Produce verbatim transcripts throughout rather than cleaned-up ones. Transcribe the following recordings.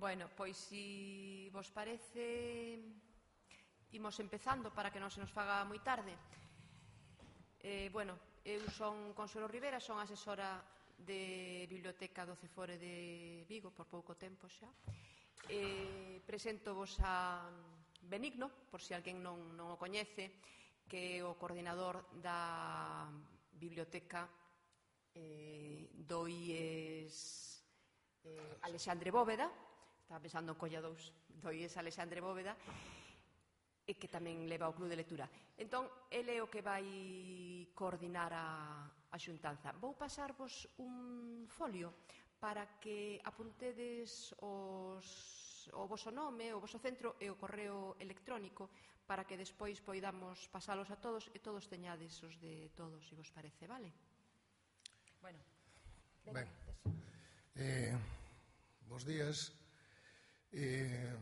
Bueno, pois, se vos parece, imos empezando para que non se nos faga moi tarde. Eh, bueno, eu son Consuelo Rivera, son asesora de Biblioteca do Cefore de Vigo por pouco tempo xa. Eh, presento vos a Benigno, por se alguén non, non o coñece, que é o coordinador da Biblioteca eh, do I E S eh, Alexandre Bóveda. Estaba pensando en Colla dous, do I E S Alexandre Bóveda, e que tamén leva o Club de Lectura. Entón, ele é o que vai coordinar a, a xuntanza. Vou pasarvos un folio para que apuntedes os, o voso nome, o voso centro e o correo electrónico para que despois poidamos pasalos a todos e todos teñades os de todos, se vos parece, vale? Bueno, ben, eh, bos días. Eh,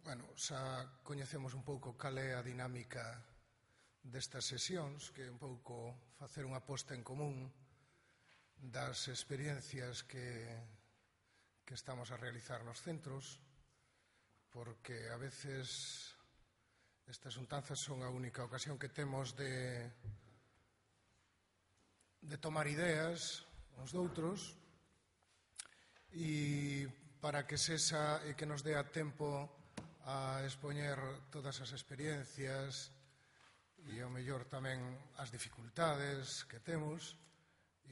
bueno, xa coñecemos un pouco cal é a dinámica destas sesións, que é un pouco facer unha posta en común das experiencias que, que estamos a realizar nos centros, porque a veces estas xuntanzas son a única ocasión que temos de, de tomar ideas uns doutros, e para que sexa e que nos dé a tempo a expoñer todas as experiencias e ao mellor tamén as dificultades que temos,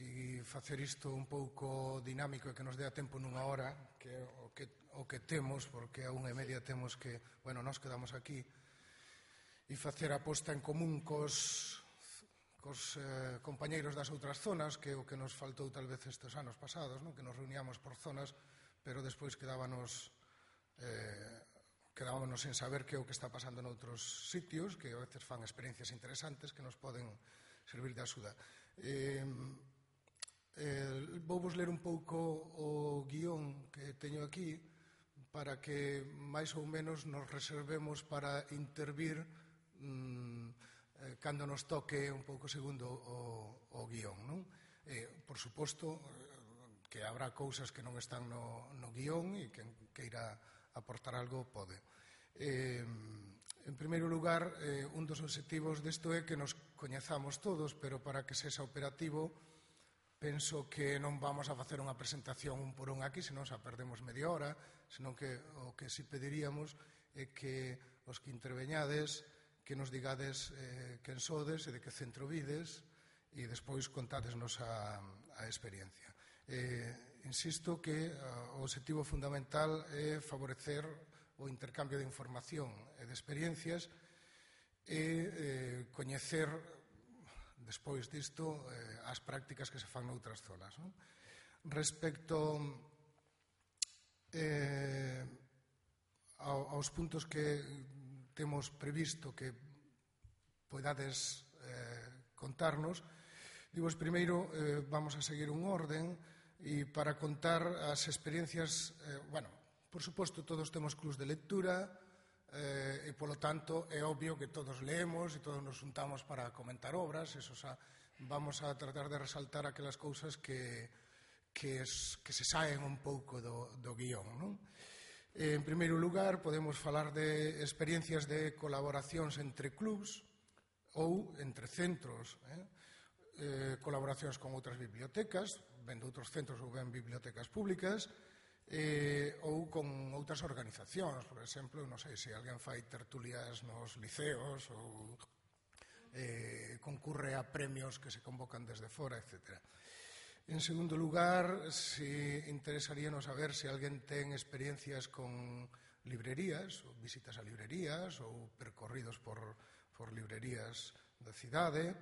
e facer isto un pouco dinámico e que nos dé a tempo nunha hora, que é o que, o que temos, porque a unha e media temos que, bueno, nos quedamos aquí, e facer a posta en común cos, cos eh, compañeiros das outras zonas, que é o que nos faltou tal vez estes anos pasados, non? Que nos reuníamos por zonas, pero despois quedábanos eh, quedábanos sen saber que é o que está pasando noutros sitios, que a veces fan experiencias interesantes que nos poden servir de axuda. Eh, eh, vou vos ler un pouco o guión que teño aquí para que máis ou menos nos reservemos para intervir mm, eh, cando nos toque un pouco segundo o, o guión, non? Eh, por suposto, que habrá cousas que non están no, no guión e que queira aportar algo pode. Eh, en primeiro lugar, eh, un dos obxectivos desto é que nos coñezamos todos, pero para que sexa operativo penso que non vamos a facer unha presentación un por un aquí, senón xa perdemos media hora, senón que o que si pediríamos é que os que interveñades que nos digades eh, quen sodes e de que centro vides, e despois contádesnos a, a experiencia. Eh, insisto que uh, o objetivo fundamental é favorecer o intercambio de información e de experiencias e eh, coñecer despois disto eh, as prácticas que se fan noutras zonas, non? Respecto eh, aos puntos que temos previsto que podades eh, contarnos, Digos, primeiro, eh, vamos a seguir un orden e para contar as experiencias, eh, bueno, por suposto, todos temos clubs de lectura eh, e, polo tanto, é obvio que todos leemos e todos nos juntamos para comentar obras, eso xa, vamos a tratar de resaltar aquelas cousas que, que, es, que se saen un pouco do, do guión, non? Eh, en primeiro lugar, podemos falar de experiencias de colaboracións entre clubs ou entre centros, eh? Eh, colaboracións con outras bibliotecas, ben de outros centros ou ben bibliotecas públicas, eh, ou con outras organizacións, por exemplo, non sei se alguén fai tertulias nos liceos ou eh, concurre a premios que se convocan desde fora, etcétera. En segundo lugar, se interesaríanos saber se alguén ten experiencias con librerías, ou visitas a librerías, ou percorridos por, por librerías da cidade,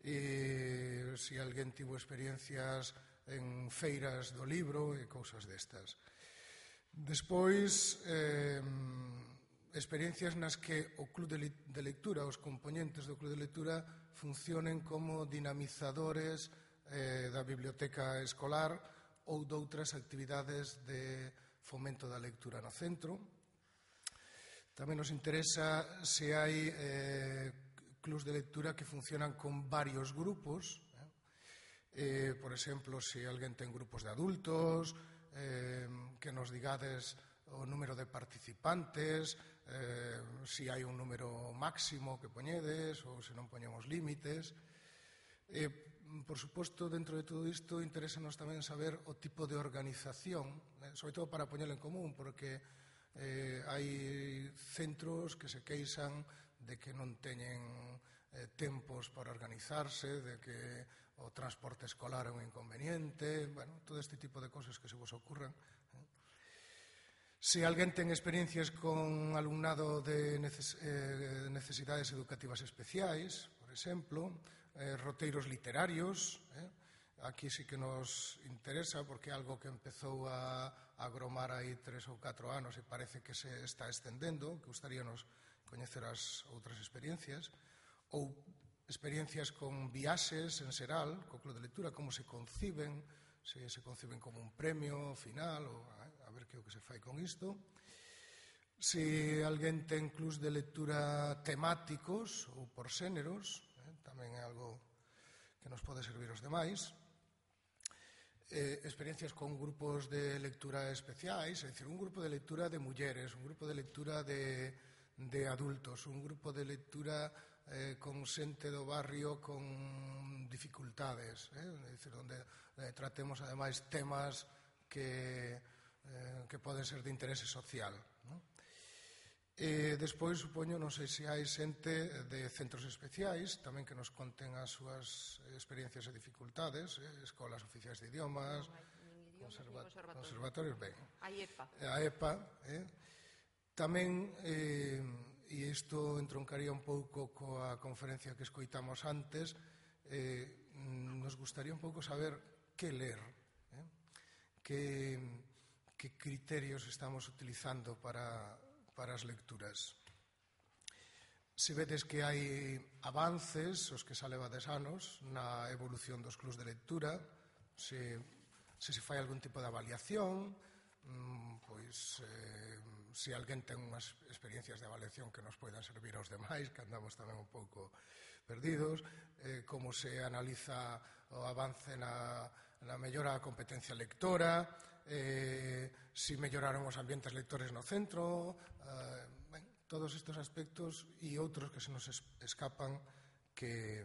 e se alguén tivo experiencias en feiras do libro e cousas destas. Despois, eh, experiencias nas que o club de lectura, os componentes do club de lectura funcionen como dinamizadores eh, da biblioteca escolar ou doutras actividades de fomento da lectura no centro. Tamén nos interesa se hai eh, clubs de lectura que funcionan con varios grupos, eh? Eh, por exemplo, se alguén ten grupos de adultos, eh, que nos digades o número de participantes, eh, si hai un número máximo que poñedes ou se non poñemos límites. Eh, por suposto, dentro de todo isto, interésanos tamén saber o tipo de organización, eh, sobre todo para poñelo en común, porque eh, hai centros que se queixan de que non teñen eh, tempos para organizarse, de que o transporte escolar é un inconveniente, bueno, todo este tipo de cosas que se vos ocurran. Eh. Se alguén ten experiencias con alumnado de neces eh, necesidades educativas especiais, por exemplo, eh, roteiros literarios, eh, aquí sí que nos interesa porque é algo que empezou a agromar aí tres ou catro anos e parece que se está estendendo, que gustaríanos coñecer as outras experiencias, ou experiencias con viaxes en xeral, co Club de Lectura, como se conciben, se se conciben como un premio final, ou a ver que é o que se fai con isto. Se alguén ten clubs de lectura temáticos ou por xéneros, eh, tamén é algo que nos pode servir aos demais. Eh, experiencias con grupos de lectura especiais, é dicir, un grupo de lectura de mulleres, un grupo de lectura de, de adultos, un grupo de lectura eh, con xente do barrio con dificultades, eh? É dicir, onde eh, tratemos ademais temas que, eh, que poden ser de interese social, non? E despois, supoño, non sei se hai xente de centros especiais tamén que nos conten as súas experiencias e dificultades, eh, escolas oficiais de idiomas, conserva conservatorios, ben, a EPA, a EPA, eh? Tamén, eh, e isto entroncaría un pouco coa conferencia que escoitamos antes, eh, nos gustaría un pouco saber que ler, eh? que, que criterios estamos utilizando para para as lecturas. Se vedes que hai avances, os que xa levades anos, na evolución dos clubs de lectura, se, se se fai algún tipo de avaliación, pois eh, se alguén ten unhas experiencias de avaliación que nos poidan servir aos demais, que andamos tamén un pouco perdidos, eh, como se analiza o avance na, na mellora da competencia lectora, eh, si melloraron os ambientes lectores no centro, eh, ben, todos estes aspectos e outros que se nos escapan que,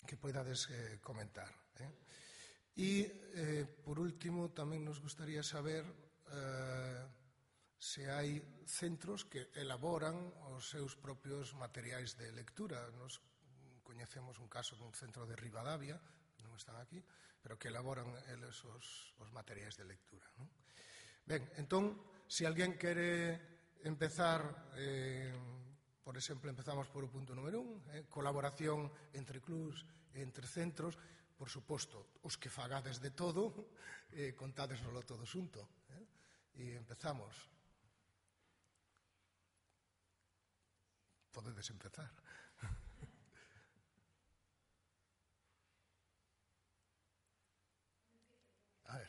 que poidades eh, comentar. Eh? E, eh, por último, tamén nos gustaría saber eh, se hai centros que elaboran os seus propios materiais de lectura. Nos coñecemos un caso dun centro de Ribadavia, non están aquí, pero que elaboran eles os, os materiais de lectura, non? Ben, entón, se alguén quere empezar, eh, por exemplo, empezamos por o punto número un, eh, colaboración entre clubs e entre centros, por suposto, os que fagades de todo, eh, contádesnolo todo xunto, eh? E empezamos. Podedes empezar. A ver.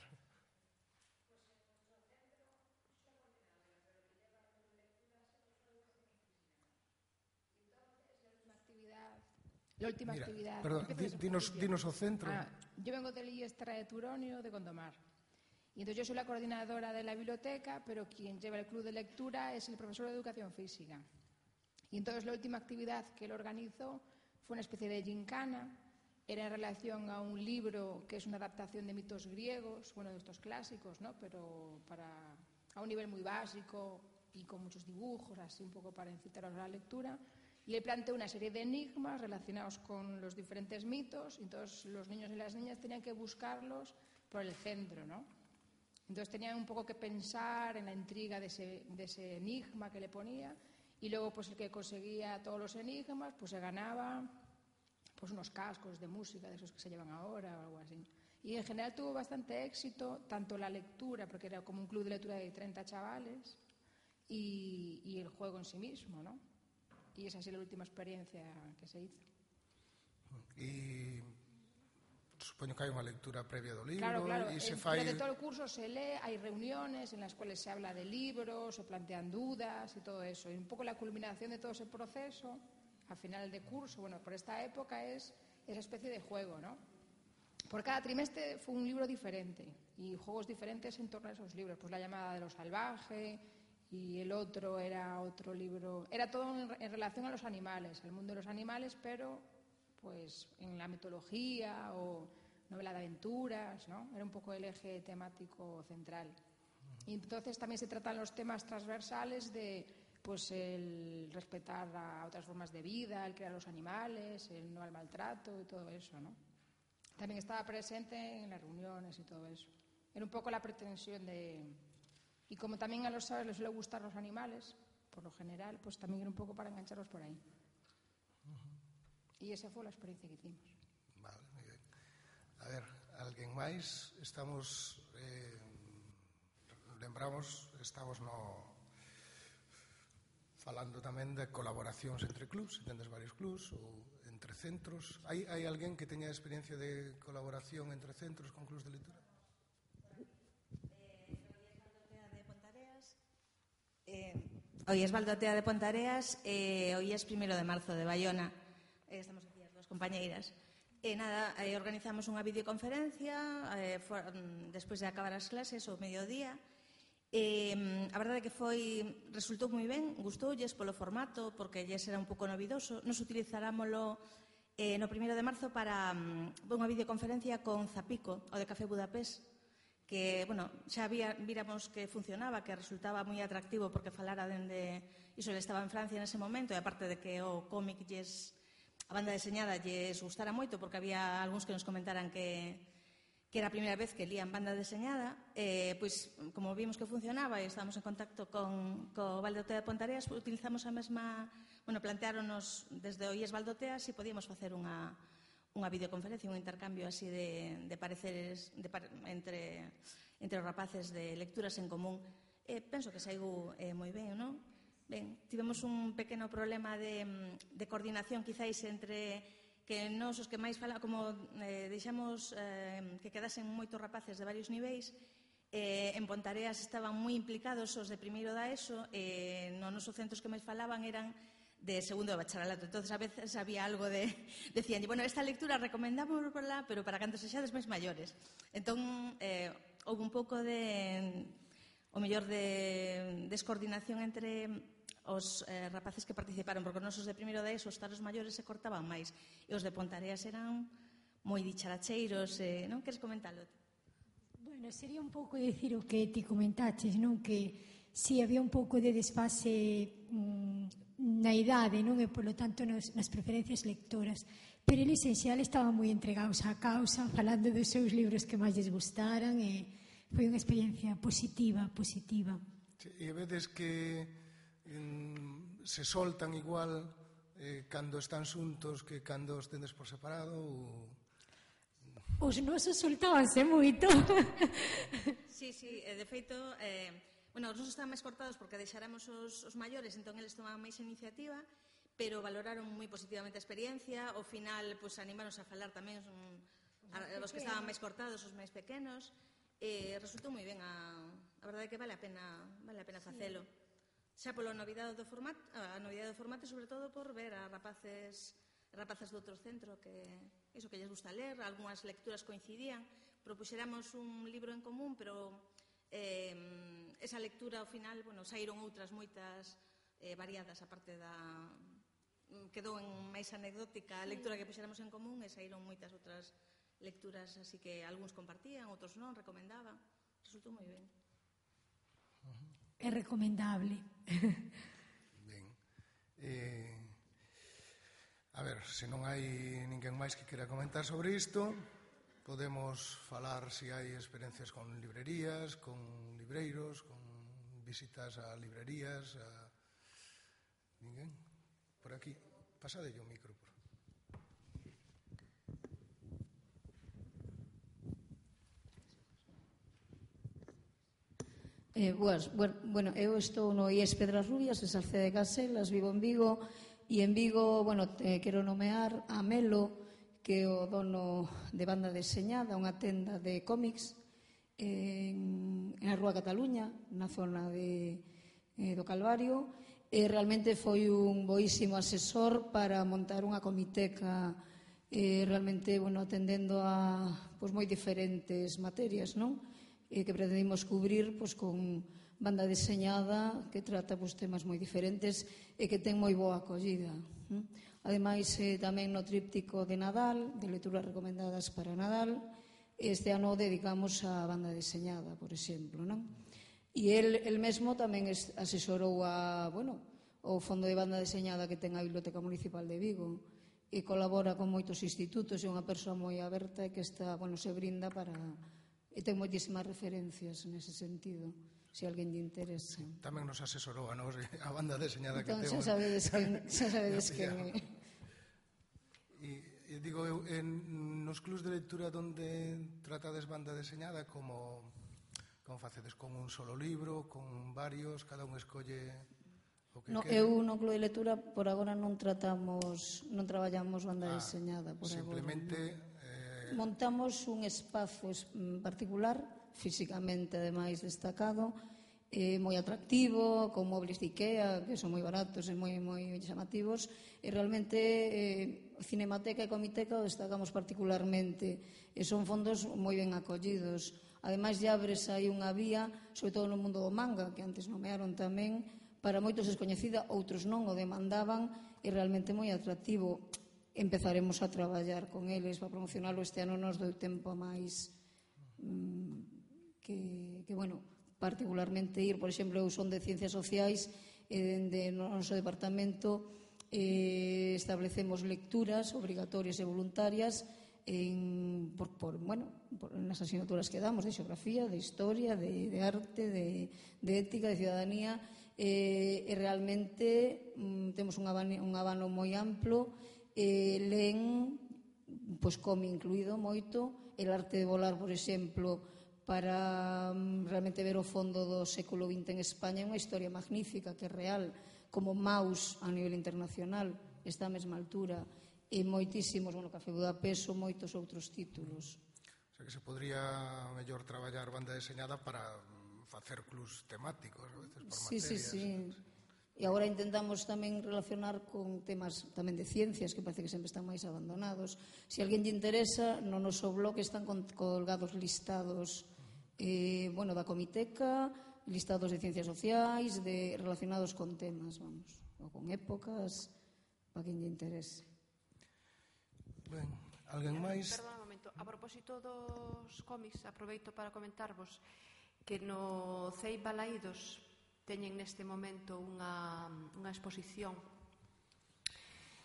La última Mira, actividad. Perdón, dinos, dinos o centro. Ah, yo vengo del I E S T R A de Turonio, de Gondomar. Y entonces yo soy la coordinadora de la biblioteca, pero quien lleva el club de lectura es el profesor de educación física. Y entonces la última actividad que él organizó fue una especie de gincana. Era en relación a un libro que es una adaptación de mitos griegos, bueno, de estos clásicos, ¿no? Pero para, a un nivel muy básico y con muchos dibujos, así un poco para incitaros a la lectura. Y le planteó una serie de enigmas relacionados con los diferentes mitos, y entonces los niños y las niñas tenían que buscarlos por el centro, ¿no? Entonces tenían un poco que pensar en la intriga de ese, de ese enigma que le ponía, y luego pues el que conseguía todos los enigmas pues se ganaba pues unos cascos de música de esos que se llevan ahora o algo así. Y en general tuvo bastante éxito, tanto la lectura, porque era como un club de lectura de treinta chavales, y, y el juego en sí mismo, ¿no? Y esa ha sido la última experiencia que se hizo. E supoño que hai unha lectura previa do libro. Claro, claro. E se en, fai... Durante todo el curso se lee, hay reuniones en las cuales se habla de libros, se plantean dudas y todo eso. Y un poco la culminación de todo ese proceso, al final de curso, bueno, por esta época es esa especie de juego, ¿no? por cada trimestre fue un libro diferente y juegos diferentes en torno a esos libros. Pues La llamada de lo salvaje y el otro era otro libro. Era todo en, en relación a los animales, al mundo de los animales, pero pues en la mitología o novela de aventuras, ¿no? Era un poco el eje temático central. Y entonces también se tratan los temas transversales de pues el respetar a otras formas de vida, el crear los animales, el no al maltrato y todo eso, ¿no? También estaba presente en las reuniones y todo eso. Era un poco la pretensión de... Y como también a los chavales les suele gustar los animales, por lo general, pues también era un poco para engancharlos por ahí. Uh-huh. Y esa fue la experiencia que hicimos. Vale, muy bien. A ver, alguén máis? Estamos... Eh, lembramos, estamos no... falando tamén de colaboracións entre clubs, tendes varios clubs ou entre centros. Hai, hai alguén que teña experiencia de colaboración entre centros con clubs de lectura? Eh, hoy es Baldo Tea de Pontareas, eh, hoy es primero de marzo de Bayona. Eh, estamos aquí as dos compañeiras. E eh, nada, eh, organizamos unha videoconferencia eh, for, despois de acabar as clases ao mediodía. Eh, a verdade é que foi, resultou moi ben, gustoulles polo formato, porque lles era un pouco novidoso. Nos utilizarámoslo eh, no primeiro de marzo para um, unha videoconferencia con Zapico, o de Café Budapest, que, bueno, xa había, víramos que funcionaba, que resultaba moi atractivo porque falara dende... Iso, ele estaba en Francia nese momento, e aparte de que o cómic lles, a banda deseñada lles gustara moito, porque había algúns que nos comentaran que que era a primeira vez que lían banda deseñada, eh, pois, como vimos que funcionaba e estábamos en contacto con co Valdotea de Pontareas, utilizamos a mesma... Bueno, planteáronos desde o I E S Valdotea se podíamos facer unha, unha videoconferencia, un intercambio así de, de pareceres de, entre, entre os rapaces de lecturas en común. Eh, penso que saiu eh, moi ben, non? Ben, tivemos un pequeno problema de, de coordinación, quizáis, entre... que nos os que máis fala, como eh, deixamos eh, que quedasen moitos rapaces de varios niveis, eh, en Pontareas estaban moi implicados os de primeiro da ESO, e eh, no nosos centros que máis falaban eran de segundo de bacharelato. Entonces a veces había algo de... Decían, bueno, esta lectura recomendamos por lá, pero para cando sexades máis maiores. Entón, eh, houve un pouco de... o mellor de descoordinación entre... os eh, rapaces que participaron, porque os nosos de primeiro da ESO, os taros maiores se cortaban máis, e os de Pontareas eran moi dicharacheiros, eh, non? Queres comentalo? Bueno, sería un pouco decir o que ti comentaches, non? Que si había un pouco de desfase mmm, na idade, non? E, polo tanto, nos, nas preferencias lectoras. Pero el esencial estaban moi entregados á causa, falando dos seus libros que máis les gustaran, e foi unha experiencia positiva, positiva. Sí, e vedes que se soltan igual eh, cando están xuntos que cando os tendes por separado ou... Os nosos soltábanse moito. Sí, sí, de feito eh, bueno, os nosos estaban máis cortados porque deixáramos os, os maiores, entón eles tomaban máis iniciativa, pero valoraron moi positivamente a experiencia. Ao final, pues, animáronse a falar tamén os, a, os que estaban máis cortados, os máis pequenos, e resultou moi ben. A, a verdade é que vale a pena, vale a pena facelo. Sí. Xa polo novidade do formato, a novidade do formato, sobre todo por ver a rapaces rapazas do outro centro que iso que lles gusta ler, algunhas lecturas coincidían, propuxéramos un libro en común, pero eh, esa lectura ao final, bueno, saíron outras moitas eh, variadas, a parte da quedou en máis anecdótica a lectura que puxéramos en común, e saíron moitas outras lecturas, así que algúns compartían, outros non, recomendaban. Resultou moi ben. Uh-huh. É recomendable. Ben. Eh, a ver, se non hai ninguén máis que quera comentar sobre isto, podemos falar se hai experiencias con librerías, con libreiros, con visitas a librerías, a... Ninguén? Por aquí. Pasadelle o micro, por favor. Eh, boas, bueno, eu estou no I E S Pedras Rubias, en Salceda de Caselas, vivo en Vigo, e en Vigo, bueno, eh, quero nomear a Melo, que é o dono de Banda Deseñada, unha tenda de cómics en, en a Rúa Cataluña, na zona de, eh, do Calvario, e realmente foi un boísimo asesor para montar unha comiteca eh, realmente, bueno, atendendo a pois, moi diferentes materias, non? Eh, que pretendimos cubrir pois, con banda deseñada que trata pois, temas moi diferentes e que ten moi boa acollida. Hm? Ademais, eh, tamén no tríptico de Nadal, de lecturas recomendadas para Nadal, este ano dedicamos a banda deseñada, por exemplo, non? E el, el mesmo tamén asesorou a, bueno, o Fondo de Banda Deseñada que ten a Biblioteca Municipal de Vigo e colabora con moitos institutos, é unha persoa moi aberta e que está, bueno, se brinda para... e ten moitísimas referencias nese sentido, se alguén lle interesa. Tamén nos asesorou a nos a banda deseñada entón, que temos. Xa sabedes quen, xa sabedes quen é. E, e digo eu, en, nos clubs de lectura onde tratades banda deseñada, como, como facedes con un solo libro, con varios, cada un escolle o que no, quere? Eu no club de lectura por agora non tratamos, non traballamos banda ah, deseñada por simplemente, agora. Simplemente eh... montamos un espazo particular, físicamente ademais destacado, eh, moi atractivo, con mobles de Ikea, que son moi baratos e moi, moi chamativos, e realmente eh, Cinemateca e Comiteca o destacamos particularmente, e son fondos moi ben acollidos. Ademais, ya abres aí unha vía, sobre todo no mundo do manga, que antes nomearon tamén, para moitos descoñecida, outros non o demandaban, e realmente moi atractivo. Empezaremos a traballar con eles para promocionarlo. Este ano nos dou tempo a máis mmm, que, que, bueno, particularmente ir, por exemplo, eu son de Ciencias Sociais e dende o noso departamento eh, establecemos lecturas obrigatorias e voluntarias en, por, por, bueno, por, nas asignaturas que damos de xeografía, de historia, de, de arte, de, de ética, de ciudadanía, eh, e realmente mm, temos un abano, un abano moi amplo, eh, len, pois come incluído moito, el arte de volar, por exemplo, para um, realmente ver o fondo do século vinte en España, é unha historia magnífica, que é real, como Maus a nivel internacional, está á mesma altura, e moitísimos, bueno, Café Budapest, moitos outros títulos. O sea que se podría mellor traballar banda deseñada para facer clubs temáticos, a veces por sí, materias. Sí, sí, sí. E agora intentamos tamén relacionar con temas tamén de ciencias, que parece que sempre están máis abandonados. Se alguén lle interesa, no noso blog están colgados listados eh, bueno, da Comiteca, listados de ciencias sociais, de, relacionados con temas, vamos, ou con épocas, para quen lle interese. Ben, alguén máis? Perdón un momento, a propósito dos cómics, aproveito para comentarvos que no C E I Balaídos teñen neste momento unha, unha exposición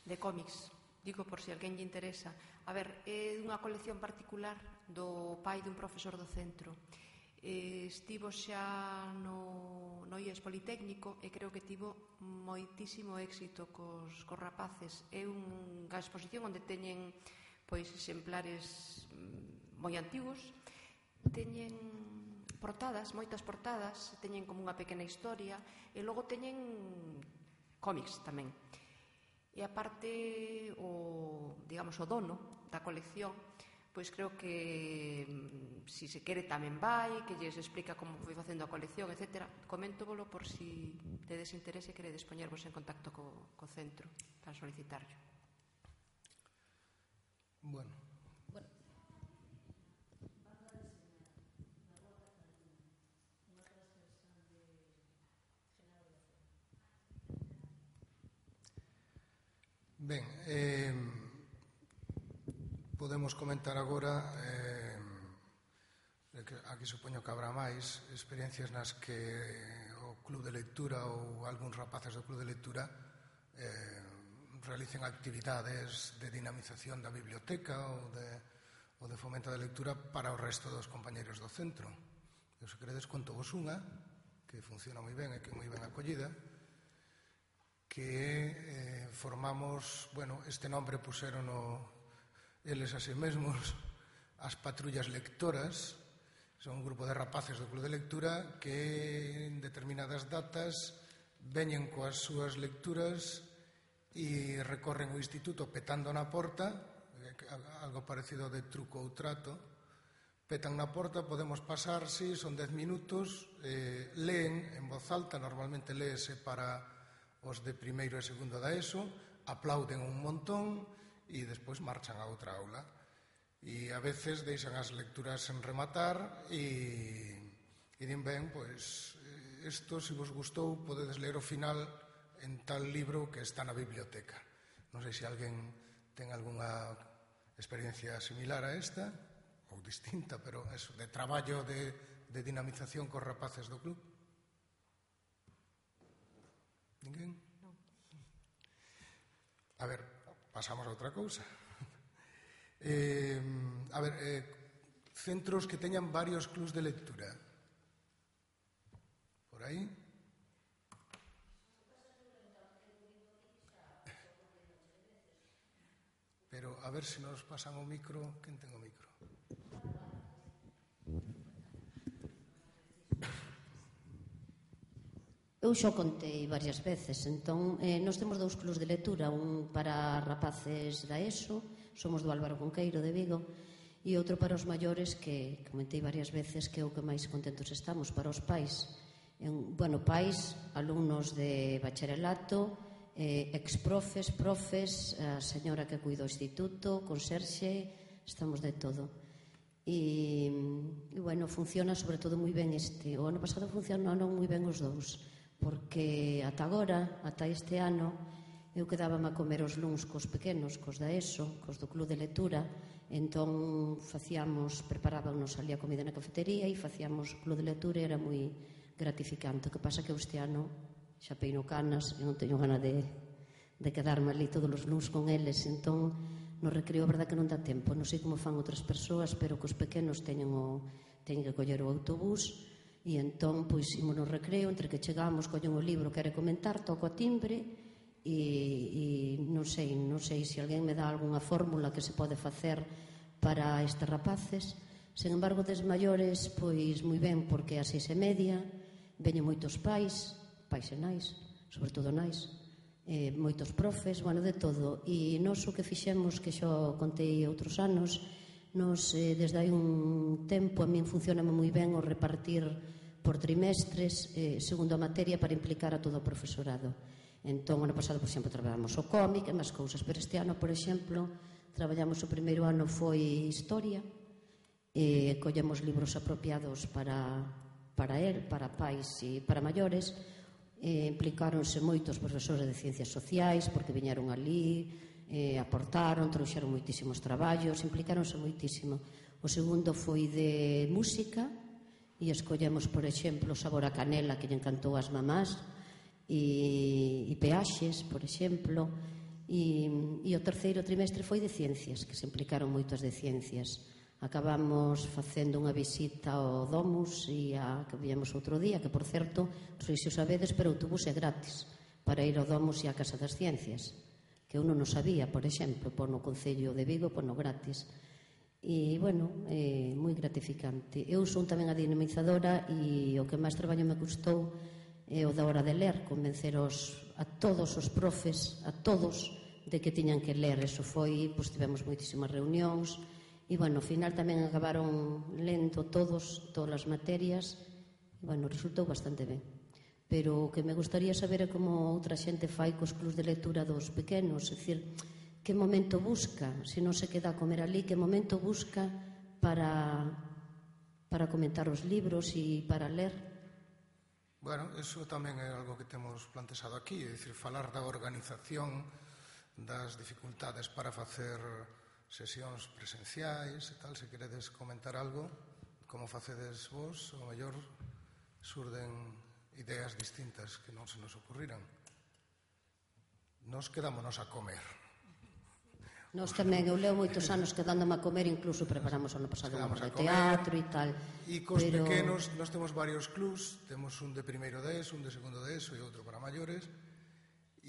de cómics, digo por si alguén lle interesa. A ver, é unha colección particular do pai dun profesor do centro. Eh, estivo xa no, no I E S Politécnico e creo que tivo moitísimo éxito cos, cos rapaces. É unha exposición onde teñen pois exemplares moi antigos, teñen portadas, moitas portadas, teñen como unha pequena historia e logo teñen cómics tamén. E aparte o, digamos, o dono da colección, pois creo que si se quere tamén vai, que lles explica como foi facendo a colección, etcétera. Coméntovolo por si tedes interese e queredes poñervos en contacto co, co centro para solicitarlo. Bueno. Bueno. Ben, eh, podemos comentar agora, eh, que aquí supoño que habrá máis experiencias nas que o club de lectura ou algúns rapaces do club de lectura eh, realicen actividades de dinamización da biblioteca ou de, ou de fomento da lectura para o resto dos compañeiros do centro. Eu, se queredes, conto vos unha que funciona moi ben e que é moi ben acollida, que eh, formamos, bueno, este nombre puseron o, eles a si mesmos, as patrullas lectoras. Son un grupo de rapaces do club de lectura que en determinadas datas veñen coas súas lecturas e recorren o instituto petando na porta, algo parecido de truco ou trato. Petan na porta, podemos pasar, si, son dez minutos, eh, leen en voz alta, normalmente léese para os de primeiro e segundo da ESO, aplauden un montón e despois marchan a outra aula. E a veces deixan as lecturas sen rematar e, e din ben, pois, isto, se vos gustou, podedes ler o final en tal libro que está na biblioteca. Non sei se alguén ten algunha experiencia similar a esta, ou distinta, pero eso, de traballo de, de dinamización cos rapaces do club. Ninguén? Non. A ver, pasamos a outra cousa. Eh, a ver, eh, centros que teñan varios clubs de lectura. Por aí? Pero a ver se nos pasan o micro. Quen ten o micro? Eu xo contei varias veces, entón, eh, nós temos dous clubs de lectura, un para rapaces da ESO, somos do Álvaro Conqueiro de Vigo, e outro para os maiores, que comentei varias veces que é o que máis contentos estamos, para os pais. En, bueno, pais, alumnos de bacharelato, eh, exprofes, profes, a señora que cuida o instituto, conserxe, estamos de todo. E, e bueno, funciona sobre todo moi ben este. O ano pasado funcionaron moi ben os dous, porque ata agora, ata este ano, eu quedábame a comer os luns cos pequenos, cos da ESO, cos do club de lectura, entón facíamos, preparábamos ali a comida na cafetería e facíamos o club de lectura e era moi gratificante. O que pasa que este ano xa peino canas e non teño gana de, de quedarme ali todos os luns con eles, entón no recreo, a verdad que non dá tempo, non sei como fan outras persoas, pero que os pequenos teñen, o, teñen que coller o autobús e entón, pois, imos no recreo, entre que chegamos, collen o libro, quere comentar, toco a timbre e, e non sei, non sei se alguén me dá algunha fórmula que se pode facer para estes rapaces. Sen embargo, des maiores, pois moi ben, porque a seis e media veñen moitos pais, pais e nais, sobre todo nais, eh, moitos profes, bueno, de todo. E nós o que fixemos, que xo contei outros anos, nos, eh, desde hai un tempo, a min funciona moi ben o repartir por trimestres, eh, segundo a materia, para implicar a todo o profesorado. Entón, ano pasado, por exemplo, traballamos o cómic e máis cousas, pero este ano, por exemplo, traballamos o primeiro ano foi historia, e collemos libros apropiados para, para el, para pais e para maiores, e implicáronse moitos profesores de ciencias sociais, porque viñeron ali, eh, aportaron, trouxeron moitísimos traballos, implicáronse moitísimo. O segundo foi de música, e escollemos, por exemplo, Sabor a Canela, que lle encantou ás mamás, e, e Peaxes, por exemplo, e, e o terceiro trimestre foi de ciencias, que se implicaron moitas de ciencias. Acabamos facendo unha visita ao Domus e a que víamos outro día, que, por certo, non sei se o sabedes, pero o autobús é gratis para ir ao Domus e á Casa das Ciencias, que eu non o sabía, por exemplo, por no Concello de Vigo, por no gratis. E, bueno, é moi gratificante. Eu son tamén a dinamizadora e o que máis traballo me custou é o da hora de ler, convencer os, a todos os profes, a todos, de que tiñan que ler. Eso foi, pois tivemos moitísimas reunións e, bueno, ao final tamén acabaron lendo todos, todas as materias e, bueno, resultou bastante ben. Pero o que me gustaría saber é como outra xente fai cos clubs de lectura dos pequenos, é dicir, que momento busca, se non se queda a comer ali, que momento busca para, para comentar os libros e para ler. Bueno, eso tamén é algo que temos plantexado aquí, é dicir, falar da organización, das dificultades para facer sesións presenciais e tal. Se queredes comentar algo, como facedes vos, o mellor surden ideas distintas que non se nos ocurriran. Nos quedámonos a comer. Nos tamén, eu leo moitos anos quedándome a comer, incluso preparamos ano pasado un de teatro e tal. E cos pero... pequenos, nós temos varios clubs, temos un de primeiro de ESO, un de segundo de ESO e outro para maiores,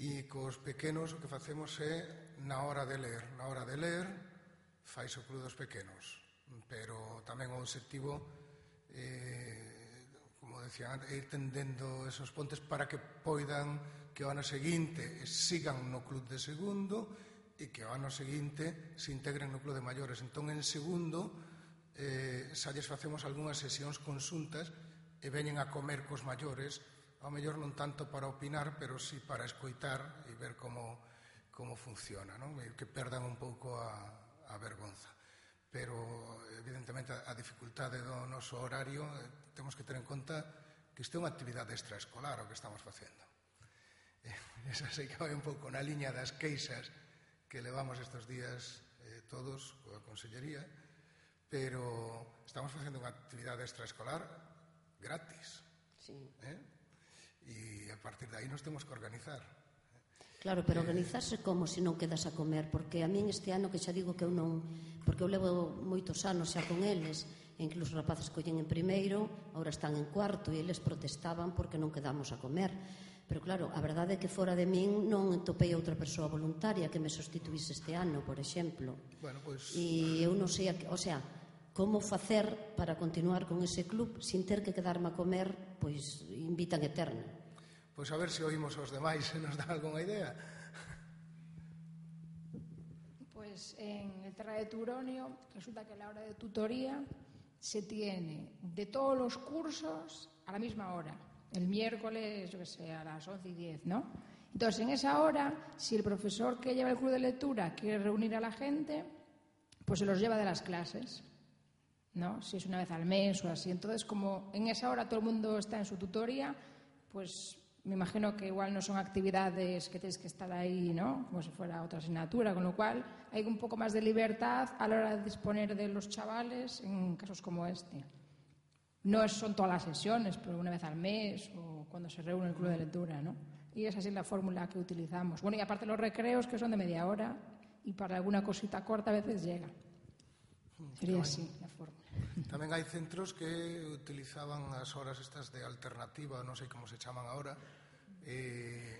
e cos pequenos o que facemos é na hora de ler. Na hora de ler, fais o club dos pequenos, pero tamén o objetivo, eh, como decía antes, é ir tendendo esos pontes para que poidan que o ano seguinte sigan no club de segundo e que o ano seguinte se integren no club de maiores. Entón, en segundo, eh, xa lles facemos algunhas sesións consuntas e veñen a comer cos maiores, ao mellor non tanto para opinar, pero sí para escoitar e ver como, como funciona, non? E que perdan un pouco a, a vergonza. Pero, evidentemente, a dificultade do noso horario eh, temos que ter en conta que isto é unha actividade extraescolar o que estamos facendo. Eh, esa sei que vai un pouco na liña das queixas que levamos estes días eh, todos coa Consellería, pero estamos facendo unha actividade extraescolar gratis. Sí. Eh? E a partir de aí nos temos que organizar. Claro, pero organizarse como se non quedas a comer, porque a min este ano que xa digo que eu non, porque eu levo moitos anos xa con eles, e incluso os rapaces collen en primeiro, agora están en cuarto e eles protestaban porque non quedamos a comer. Pero claro, a verdade é que fora de min non topei outra persoa voluntaria que me sustituíse este ano, por exemplo. Bueno, pois... E eu non sei, a, o sea, como facer para continuar con ese club sin ter que quedarme a comer, pois invitan eterna. Pois a ver se oímos os demais se nos dá algunha idea. Pues en el Terra de Turonio resulta que a la hora de tutoría se tiene de todos los cursos a la misma hora. El miércoles, yo que sé, a las once y diez, ¿no? Entonces, en esa hora, si el profesor que lleva el club de lectura quiere reunir a la gente, pues se los lleva de las clases, ¿no? Si es una vez al mes o así. Entonces, como en esa hora todo el mundo está en su tutoría, pues me imagino que igual no son actividades que tienes que estar ahí, ¿no? Como si fuera otra asignatura, con lo cual hay un poco más de libertad a la hora de disponer de los chavales en casos como este. No son todas las sesiones, pero una vez al mes o cuando se reúne el club de lectura, ¿no? Y esa sí es la fórmula que utilizamos. Bueno, y aparte los recreos, que son de media hora, y para alguna cosita corta a veces llega. Sería así la fórmula. Tamén hai centros que utilizaban as horas estas de alternativa, non sei como se chaman agora, e,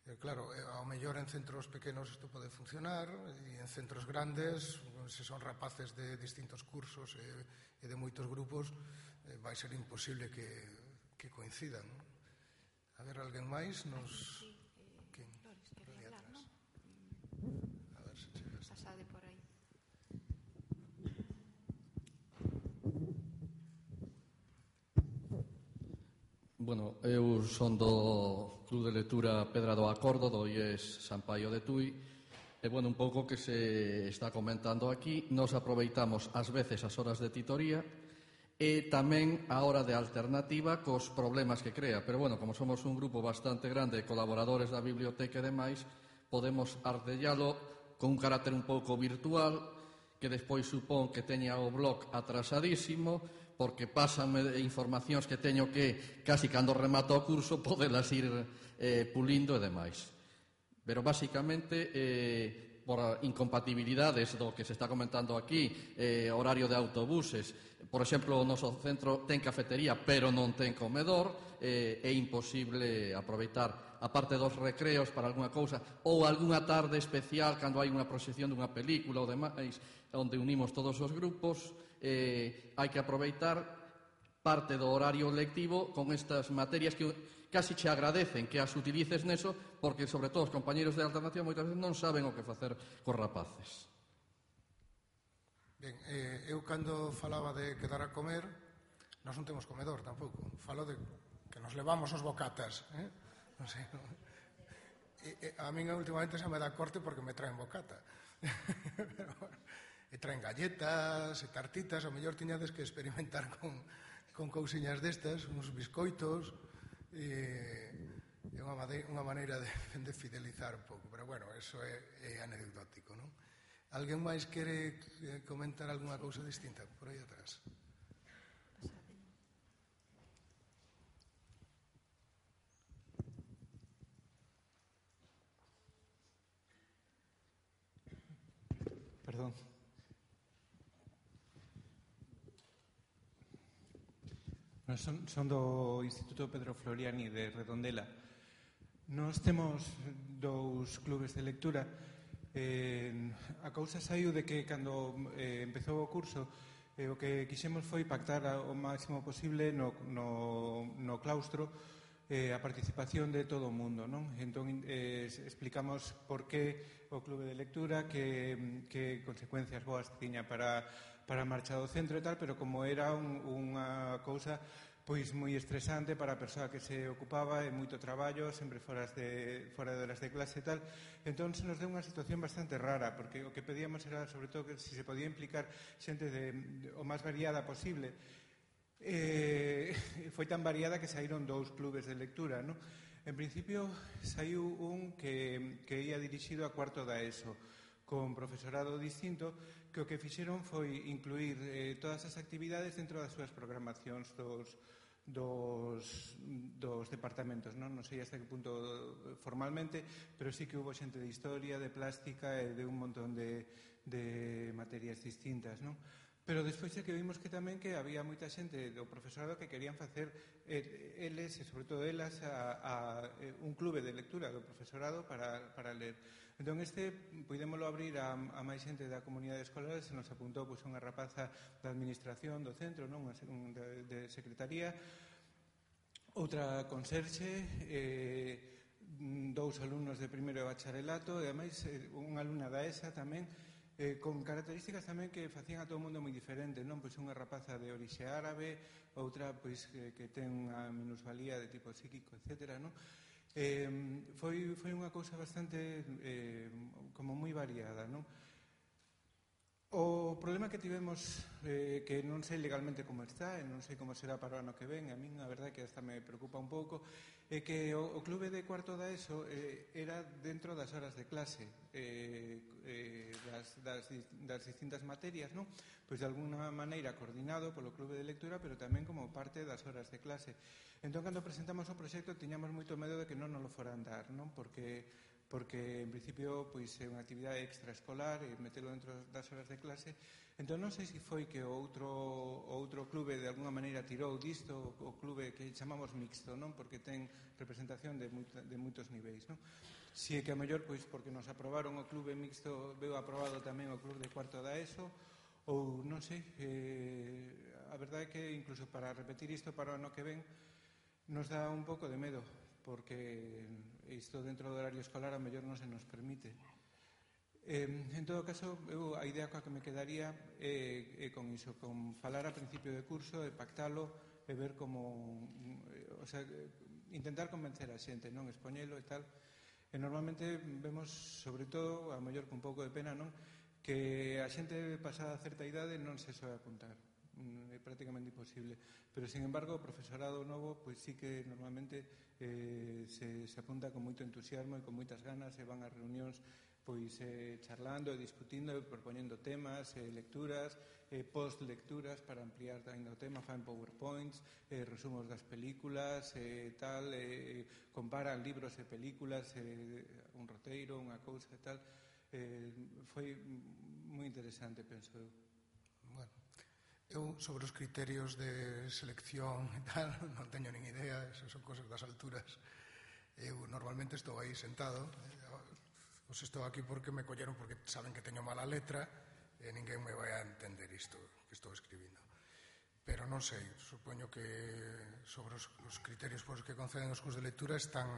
e claro, ao mellor en centros pequenos isto pode funcionar, e en centros grandes, se son rapaces de distintos cursos e, e de moitos grupos, eh, vai ser imposible que, que coincidan. A ver, alguén máis nos... Quen? Por aí atrás. A ver se chegas. Pasade por aí. Bueno, eu son do Club de Lectura Pedra do Acordo, do I E S San Paio de Tui, e, bueno, un pouco que se está comentando aquí, nos aproveitamos ás veces as horas de titoría e tamén a hora de alternativa cos problemas que crea. Pero, bueno, como somos un grupo bastante grande de colaboradores da biblioteca e demais, podemos ardellalo con un carácter un pouco virtual, que despois supón que teña o blog atrasadísimo, porque pásame informacións que teño que, casi cando remato o curso, podelas ir eh, pulindo e demais. Pero, basicamente, eh, por incompatibilidades do que se está comentando aquí, eh, horario de autobuses, por exemplo, o noso centro ten cafetería, pero non ten comedor, eh, é imposible aproveitar, aparte dos recreos para algunha cousa, ou algunha tarde especial, cando hai unha proxección dunha película ou demais, onde unimos todos os grupos, eh, hai que aproveitar parte do horario lectivo con estas materias que casi che agradecen que as utilices neso, porque, sobre todo, os compañeros de alternativa moitas veces non saben o que facer cos rapaces. Ben, eh, eu cando falaba de quedar a comer, nós non temos comedor tampouco. Falo de que nos levamos os bocatas, eh? Non sei, non. E, e, a min últimamente xa me dá corte porque me traen bocata. Pero, bueno, e traen galletas e tartitas, ao mellor tiñades que experimentar con, con cousiñas destas, uns biscoitos, e é unha, unha maneira de, de fidelizar un pouco, pero bueno, eso é, é anecdótico, non? Alguén máis quere comentar algunha cousa distinta por aí atrás? Perdón. Bueno, son, son do Instituto Pedro Floriani de Redondela. Nós temos dous clubes de lectura. Eh, a cousa saiu de que cando eh, empezou o curso eh, o que quixemos foi pactar o máximo posible no, no, no claustro eh, a participación de todo o mundo, non? Entón eh, explicamos por que o clube de lectura, que, que consecuencias boas tiña para, para a marcha do centro e tal, pero como era un, unha cousa pois moi estresante para a persoa que se ocupaba, e moito traballo, sempre fora de, fora de horas de clase e tal. Entón, se nos deu unha situación bastante rara, porque o que pedíamos era, sobre todo, que se se podía implicar xente de, de, o máis variada posible. Eh, foi tan variada que saíron dous clubes de lectura, non? En principio, saiu un que, que ia dirixido a cuarto da ESO, con profesorado distinto, que o que fixeron foi incluir eh, todas as actividades dentro das súas programacións dos, dos, dos departamentos. Non? non sei hasta que punto formalmente, pero sí que hubo xente de historia, de plástica e de un montón de, de materias distintas. Non? Pero despois é que vimos que tamén que había moita xente do profesorado que querían facer eh, eles, e sobre todo elas, a, a, a un clube de lectura do profesorado para, para ler. Entón, este, podémoslo abrir a, a máis xente da comunidade escolar. Se nos apuntou pois, unha rapaza da administración do centro, non? Un, de, de secretaría, outra conserxe, eh, dous alumnos de primeiro bacharelato, e ademais eh, unha alumna da ESA tamén, eh, con características tamén que facían a todo o mundo moi diferente, non? Pois unha rapaza de orixe árabe, outra pois que, que ten unha minusvalía de tipo psíquico, etcétera, non? Eh, foi, foi unha cousa bastante eh, como moi variada, non? O problema que tivemos, eh, que non sei legalmente como está, e non sei como será para o ano que ven, a min a verdade que hasta me preocupa un pouco, é que o, o clube de cuarto da ESO eh, era dentro das horas de clase, eh, eh, das, das, das distintas materias, non? Pois de alguna maneira coordinado polo clube de lectura, pero tamén como parte das horas de clase. Entón, cando presentamos o proxecto, tiñamos moito medo de que non nos lo foran dar, non? Porque porque en principio pois, é unha actividade extraescolar e metelo dentro das horas de clase. Entón non sei se foi que o outro, o outro clube de alguna maneira tirou disto, o clube que chamamos mixto, non? Porque ten representación de, moita, de moitos niveis, non? Si é que a mellor, pois, porque nos aprobaron o clube mixto, veo aprobado tamén o clube de cuarto da ESO, ou non sei, eh, a verdade é que incluso para repetir isto para o ano que ven nos dá un pouco de medo, porque isto dentro do horario escolar a mellor non se nos permite. Eh, en todo caso, eu a idea coa que me quedaría é, é con iso, con falar a principio de curso e pactalo e ver como, o sea, intentar convencer a xente, non, expoñelo e tal. E normalmente vemos, sobre todo, a mellor con un pouco de pena, non, que a xente pasada certa idade non se soe apuntar. É prácticamente imposible, pero sin embargo o profesorado novo pois sí que normalmente eh, se, se apunta con moito entusiasmo e con moitas ganas e van a reunións pois eh, charlando e discutindo e propoñendo temas, eh, lecturas, eh, post-lecturas para ampliar ainda o tema, fan powerpoints, eh, resumos das películas e eh, tal, eh, comparan libros e películas, eh, un roteiro, unha cousa e tal. Eh, foi moi interesante, penso eu. Bueno, eu sobre os criterios de selección e tal non teño nin idea, esas son cosas das alturas. Eu normalmente estou aí sentado, os estou aquí porque me colleron porque saben que teño mala letra e ninguén me vai a entender isto que estou escribindo. Pero non sei, supoño que sobre os, os criterios por os que conceden os cursos de lectura están,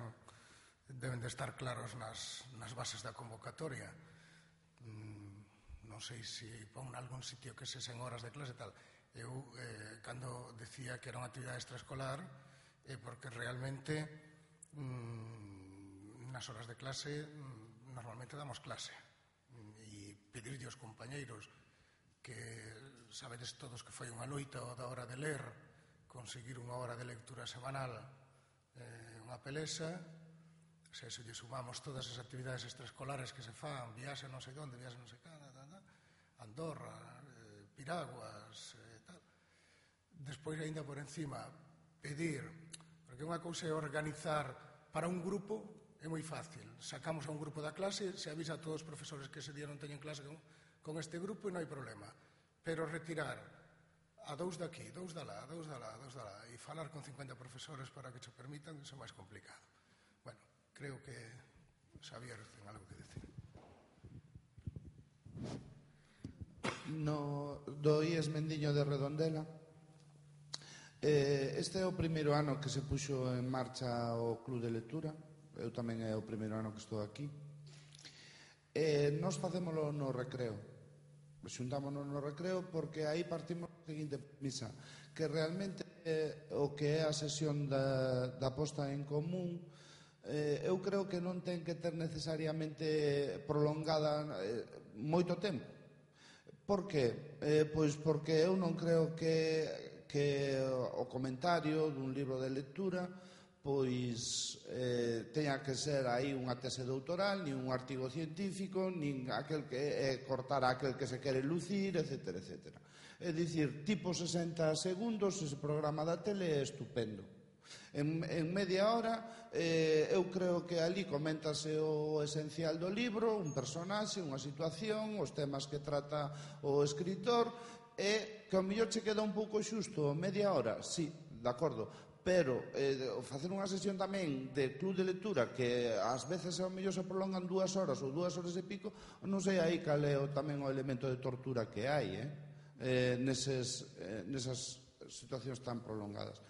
deben de estar claros nas, nas bases da convocatoria. Non sei se pon algún sitio que se sen horas de clase e tal. Eu, eh, cando decía que era unha actividade extraescolar, é eh, porque realmente mmm, nas horas de clase mmm, normalmente damos clase. E pedirlle aos compañeiros que sabedes todos que foi unha loita da hora de ler, conseguir unha hora de lectura semanal, eh, unha pelesa. Se eso lle sumamos todas as actividades extraescolares que se fan, viaxe non sei onde, viaxe non sei cada, Andorra, eh, Piraguas, eh, tal. Despois, ainda por encima, pedir, porque unha cousa é organizar para un grupo, é moi fácil. Sacamos a un grupo da clase, se avisa a todos os profesores que ese día non teñen clase con, con este grupo e non hai problema. Pero retirar a dous daqui, dous da lá, dous da lá, dous da lá, e falar con cincuenta profesores para que che permitan, iso é máis complicado. Bueno, creo que Xavier ten algo que decir. No, do I E S Mendiño de Redondela. Eh, este é o primeiro ano que se puxo en marcha o Club de Lectura. Eu tamén é o primeiro ano que estou aquí. Eh, nos facémolo no recreo. Xuntámonos no recreo porque aí partimos seguinte premisa, que realmente eh, o que é a sesión da, da posta en común, eh, eu creo que non ten que ter necesariamente prolongada eh, moito tempo. Por que? Eh, pois porque eu non creo que, que o comentario dun libro de lectura pois eh, teña que ser aí unha tese doutoral, nin un artigo científico, nin aquel que é cortar a aquel que se quere lucir, etcétera, etcétera. É dicir, tipo sesenta segundos, ese programa da tele é estupendo. En, en media hora, eh, eu creo que ali coméntase o esencial do libro, un personaxe, unha situación, os temas que trata o escritor, e que ao mellor che queda un pouco xusto, media hora, sí, de acordo, pero eh, facer unha sesión tamén de club de lectura que ás veces ao mellor se prolongan dúas horas ou dúas horas e pico, non sei aí cal é o, tamén o elemento de tortura que hai eh? Eh, neses, eh, nesas situacións tan prolongadas.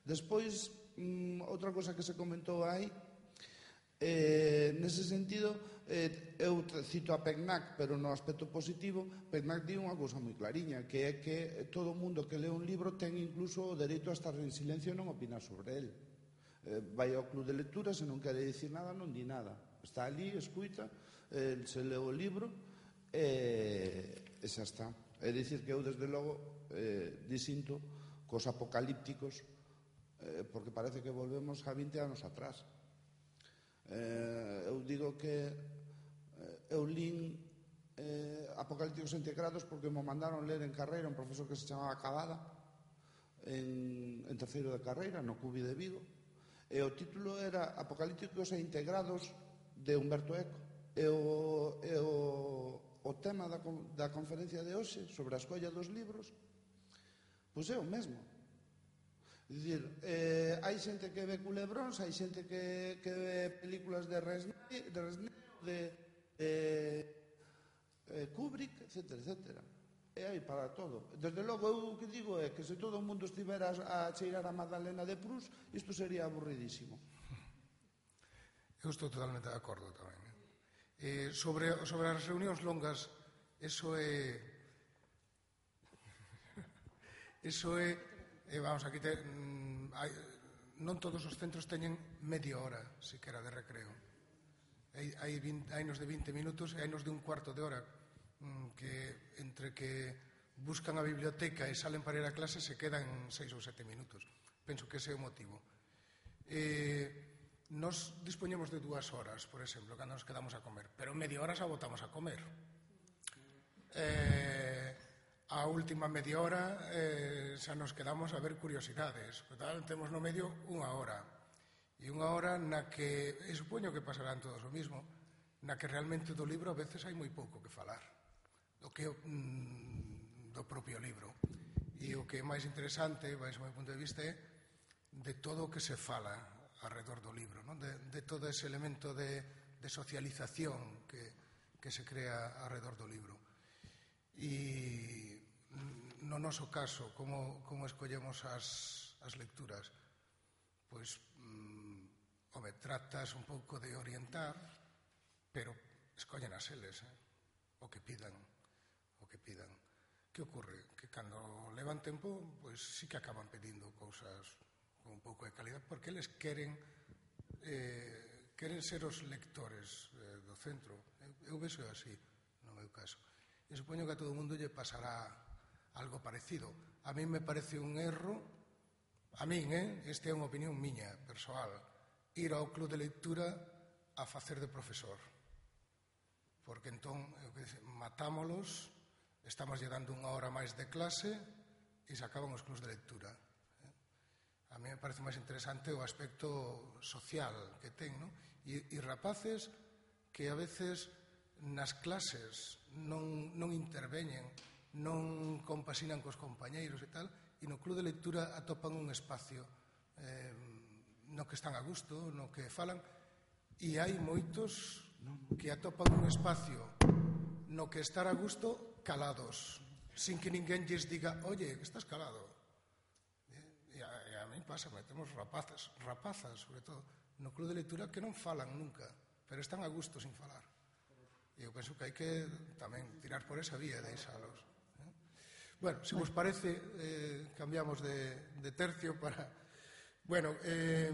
Despois, mm, outra cosa que se comentou aí, eh, nese sentido, eh, eu cito a PECNAC, pero no aspecto positivo, PECNAC di unha cousa moi clariña, que é que todo o mundo que lee un libro ten incluso o dereito a estar en silencio e non opinar sobre el. Eh, vai ao club de lectura, se non quere dicir nada, non di nada. Está ali, escuita, eh, se lee o libro e, e xa está. É dicir que eu, desde logo, eh, disinto cos apocalípticos, eh, porque parece que volvemos a vinte anos atrás. Eh, eu digo que eh, eu lín eh, Apocalípticos integrados porque me mandaron ler en carreira un profesor que se chamaba Cavada en, en terceiro de carreira no Cubi de Vigo, e o título era Apocalípticos e integrados de Humberto Eco, e o, e o o tema da, da conferencia de hoxe sobre a escolla dos libros, pois é o mesmo. É dicir, eh, hai xente que ve culebróns, hai xente que, que ve películas de Resnay, de, Resnay, de eh, eh, Kubrick, etcétera, etcétera. E hai para todo. Desde logo, eu o que digo é que se todo o mundo estivera a cheirar a Magdalena de Proust, isto sería aburridísimo. Eu estou totalmente de acordo tamén. Eh, sobre, sobre as reunións longas, eso é eso é eh, vamos, aquí te, mm, hai, non todos os centros teñen media hora sequera de recreo. Hai, hai, hai nos de vinte minutos e hai nos de un cuarto de hora, mm, que entre que buscan a biblioteca e salen para ir a clase se quedan seis ou sete minutos. Penso que ese é o motivo. Eh, Nos dispoñemos de dúas horas, por exemplo, cando nos quedamos a comer, pero media hora xa botamos a comer. Eh, a última media hora eh, xa nos quedamos a ver curiosidades. Total, temos no medio unha hora. E unha hora na que, e supoño que pasarán todos o mismo, na que realmente do libro a veces hai moi pouco que falar. Do que mm, do propio libro. E o que é máis interesante, baixo o meu punto de vista, é de todo o que se fala alrededor do libro, non? De, de todo ese elemento de, de socialización que, que se crea alrededor do libro. E no noso caso, como, como escollemos as, as lecturas? Pois, mm, home, tratas un pouco de orientar, pero escollen as eles, eh? o que pidan, o que pidan. Que ocorre? Que cando levan tempo, pois sí que acaban pedindo cousas un pouco de calidad, porque eles queren eh, queren ser os lectores eh, do centro. Eu, eu vexo así, no meu caso. E supoño que a todo o mundo lle pasará algo parecido. A mí me parece un erro, a min, eh, esta é unha opinión miña, persoal, ir ao club de lectura a facer de profesor. Porque entón, eu que dice, matámolos, estamos lle dando unha hora máis de clase e se acaban os clubs de lectura. A mí me parece máis interesante o aspecto social que ten, non? E, e rapaces que a veces nas clases non, non interveñen, non compasinan cos compañeiros e tal, e no club de lectura atopan un espacio eh, no que están a gusto, no que falan, e hai moitos que atopan un espacio no que estar a gusto calados, sin que ninguén lles diga, oye, que estás calado. Pasa, temos rapazas, rapazas, sobre todo, no club de lectura que non falan nunca, pero están a gusto sin falar. E eu penso que hai que tamén tirar por esa vía, deixalos. Eh? Bueno, se vos parece, eh, cambiamos de, de tercio para... Bueno, eh,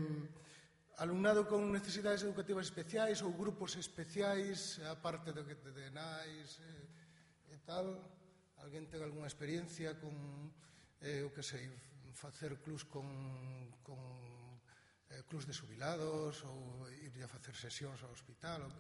alumnado con necesidades educativas especiais ou grupos especiais, aparte de, de, de nais eh, e tal, alguén ten algunha experiencia con, eh, o que sei, facer clubs con, con eh, clubs de xubilados ou ir a facer sesións ao hospital? Ou,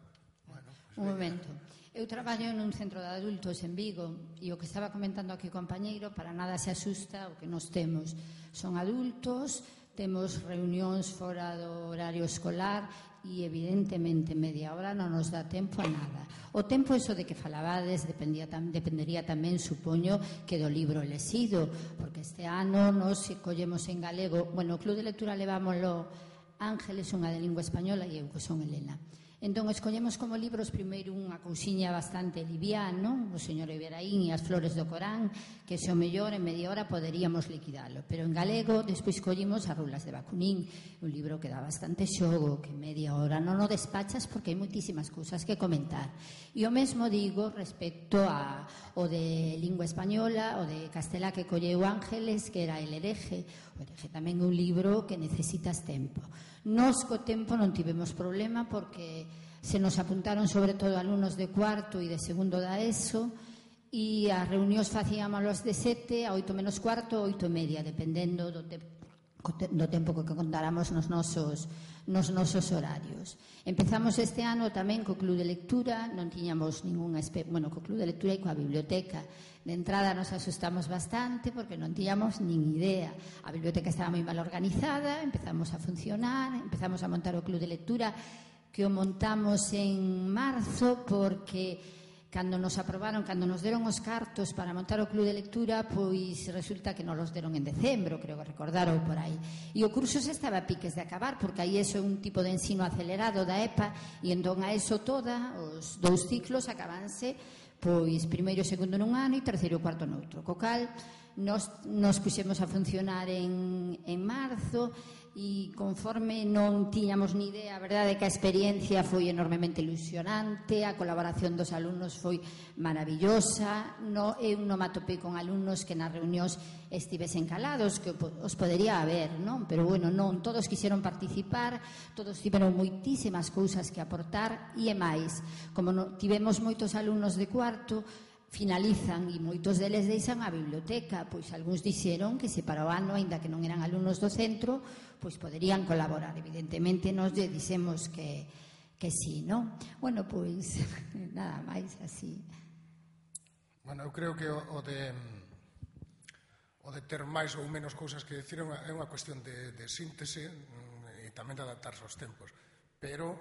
bueno, pues un momento. Eu traballo nun centro de adultos en Vigo e o que estaba comentando aquí o compañeiro para nada se asusta o que nos temos. Son adultos, temos reunións fora do horario escolar e evidentemente media hora non nos dá tempo a nada. O tempo eso de que falabades dependía, dependería tamén, supoño, que do libro lesido, porque este ano nos collemos en galego. Bueno, o Club de Lectura levámoslo Ángeles, unha de lingua española, e eu que son Helena. Entón, escollemos como libros primeiro unha cousiña bastante liviano, o señor Iberaín e as flores do Corán, que se o mellor en media hora poderíamos liquidalo. Pero en galego, despois collimos as rulas de Bakunin, un libro que dá bastante xogo, que en media hora non o despachas porque hai moitísimas cousas que comentar. E o mesmo digo respecto a o de lingua española, o de castelá que colleu Ángeles, que era El hereje. O hereje tamén é un libro que necesitas tempo. Nos co tempo non tivemos problema porque se nos apuntaron sobre todo alumnos de cuarto e de segundo da ESO e as reunións facíamos de sete a oito menos cuarto, oito e media, dependendo do, te do tempo que contáramos nos nosos, nos nosos horarios. Empezamos este ano tamén co Club de Lectura, non tiñamos ninguna, bueno, co Club de Lectura e coa biblioteca. De entrada nos asustamos bastante porque non tiñamos nin idea. A biblioteca estaba moi mal organizada, empezamos a funcionar, empezamos a montar o Club de Lectura, que o montamos en marzo porque cando nos aprobaron, cando nos deron os cartos para montar o Club de Lectura, pois resulta que nos los deron en decembro, creo que recordaron por aí. E o curso se estaba a piques de acabar, porque aí eso é un tipo de ensino acelerado da E P A, e entón a eso toda, os dous ciclos acabanse, pois primeiro e segundo nun ano e terceiro e cuarto noutro. Co cal, nos, nos puxemos a funcionar en, en marzo, e conforme non tiñamos ni idea, a verdade é que a experiencia foi enormemente ilusionante, a colaboración dos alumnos foi maravillosa. No, eu non me atopei con alumnos que nas reunións estivesen calados, que os podería haber, non? Pero bueno, non, todos quixeron participar, todos tiveron moitísimas cousas que aportar, e é máis, como no, tivemos moitos alumnos de cuarto, finalizan e moitos deles deixan a biblioteca, pois algúns dixeron que se para o ano, aínda que non eran alumnos do centro, pois poderían colaborar. Evidentemente nos lle dixemos que, que sí, non? Bueno, pois nada máis así. Bueno, eu creo que o, o de o de ter máis ou menos cousas que decir é unha, é unha cuestión de, de síntese e tamén de adaptarse aos tempos, pero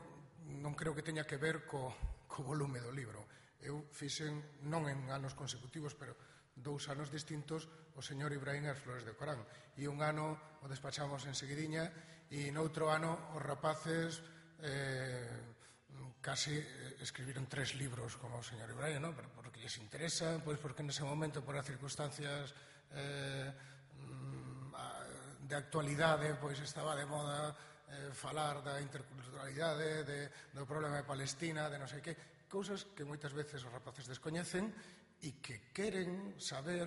non creo que teña que ver co, co volume do libro. Eu fixen, non en anos consecutivos, pero dous anos distintos, o señor Ibrahim e as flores de Corán. E un ano o despachamos en seguidiña, e noutro ano os rapaces eh, casi escribiron tres libros como o señor Ibrahim, non? Pero porque lles interesa, pois porque nese momento, por as circunstancias eh, de actualidade, pois estaba de moda eh, falar da interculturalidade, de, do problema de Palestina, de non sei que, cousas que moitas veces os rapaces descoñecen e que queren saber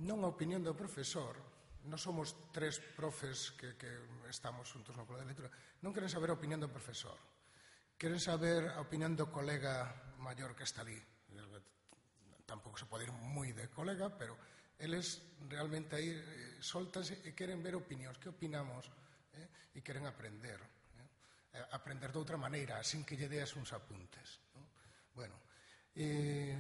non a opinión do profesor. Non somos tres profes que, que estamos juntos no Club de Lectura. Non queren saber a opinión do profesor. Queren saber a opinión do colega maior que está ali. Tampouco se pode ir moi de colega, pero eles realmente aí eh, soltanse e queren ver opinións. Que opinamos? Eh? E queren aprender. Eh? Aprender de outra maneira, sin que lle deas uns apuntes. Non? Bueno, eh...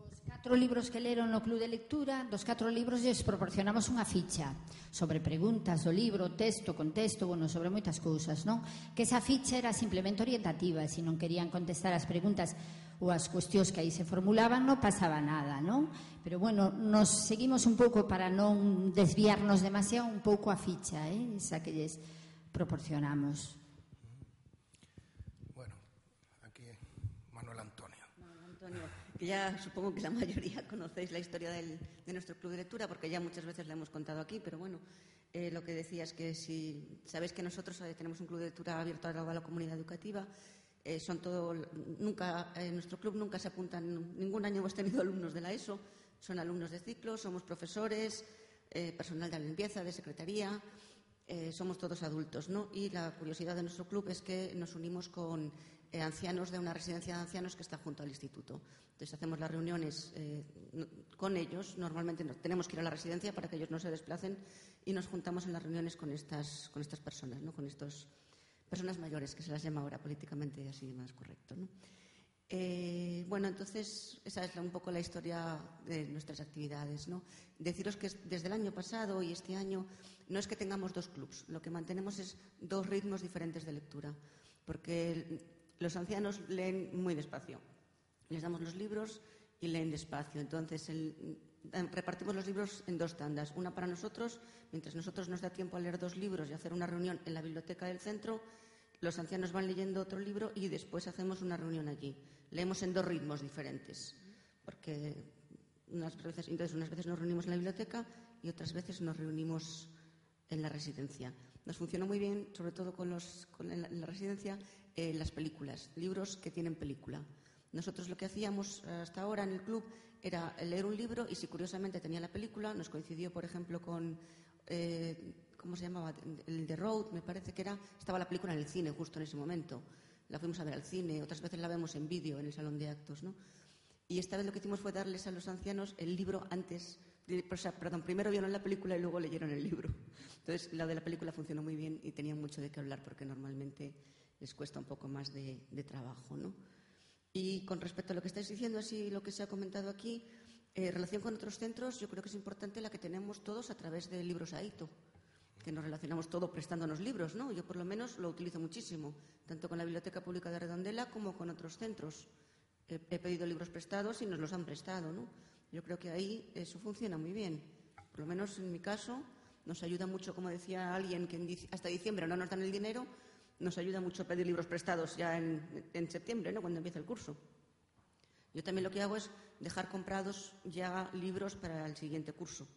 Os catro libros que leron no Club de Lectura, dos catro libros lles proporcionamos unha ficha sobre preguntas do libro, texto, contexto, bueno, sobre moitas cousas, non? Que esa ficha era simplemente orientativa, se non querían contestar as preguntas ou as cuestións que aí se formulaban, non pasaba nada, non? Pero, bueno, nos seguimos un pouco para non desviarnos demasiado un pouco a ficha, eh? Esa que lles proporcionamos. Bueno, aquí Manuel Antonio. Manuel Antonio, que ya supongo que la mayoría conocéis la historia del, de nuestro Club de Lectura, porque ya muchas veces la hemos contado aquí, pero bueno, Eh, lo que decías que si sabéis que nosotros eh, tenemos un club de lectura abierto a toda la comunidad educativa, eh, son todo, nunca, en nuestro club nunca se apuntan, ningún año hemos tenido alumnos de la ESO, son alumnos de ciclo, somos profesores, eh, personal de limpieza, de secretaría, eh, somos todos adultos, ¿no? Y la curiosidad de nuestro club es que nos unimos con eh, ancianos de una residencia de ancianos que está junto al instituto. Entonces hacemos las reuniones eh, con ellos, normalmente no, tenemos que ir a la residencia para que ellos no se desplacen y nos juntamos en las reuniones con estas, con estas personas, ¿no? Con estas personas mayores, que se las llama ahora políticamente así más correcto, ¿no? Eh, bueno, entonces esa es un poco la historia de nuestras actividades, ¿no? Deciros que desde el año pasado y este año no es que tengamos dos clubs, lo que mantenemos es dos ritmos diferentes de lectura, porque los ancianos leen muy despacio, les damos los libros y leen despacio, entonces el, repartimos los libros en dos tandas, una para nosotros, mientras nosotros nos da tiempo a leer dos libros y hacer una reunión en la biblioteca del centro, los ancianos van leyendo otro libro y después hacemos una reunión allí. Leemos en dos ritmos diferentes, porque unas veces, entonces unas veces nos reunimos en la biblioteca y otras veces nos reunimos en la residencia. Nos funciona muy bien, sobre todo con, los, con en, la, en la residencia, eh, las películas, libros que tienen película. Nosotros lo que hacíamos hasta ahora en el club era leer un libro y si curiosamente tenía la película, nos coincidió, por ejemplo, con... Eh, ¿cómo se llamaba? El The Road, me parece que era, estaba la película en el cine justo en ese momento. La fuimos a ver al cine, otras veces la vemos en vídeo en el salón de actos, ¿no? Y esta vez lo que hicimos fue darles a los ancianos el libro antes, o sea, perdón, primero vieron la película y luego leyeron el libro. Entonces, la de la película funcionó muy bien y tenían mucho de qué hablar porque normalmente les cuesta un poco más de, de trabajo, ¿no? Y con respecto a lo que estáis diciendo, así lo que se ha comentado aquí, en eh, relación con otros centros, yo creo que es importante la que tenemos todos a través de Libros Aito, que nos relacionamos todo prestándonos libros, ¿no? Yo por lo menos lo utilizo muchísimo, tanto con la Biblioteca Pública de Redondela como con otros centros. He, he pedido libros prestados y nos los han prestado, ¿no? Yo creo que ahí eso funciona muy bien. Por lo menos en mi caso nos ayuda mucho, como decía alguien, que en, hasta diciembre no nos dan el dinero, nos ayuda mucho a pedir libros prestados ya en, en septiembre, ¿no? Cuando empieza el curso. Yo también lo que hago es dejar comprados ya libros para el siguiente curso.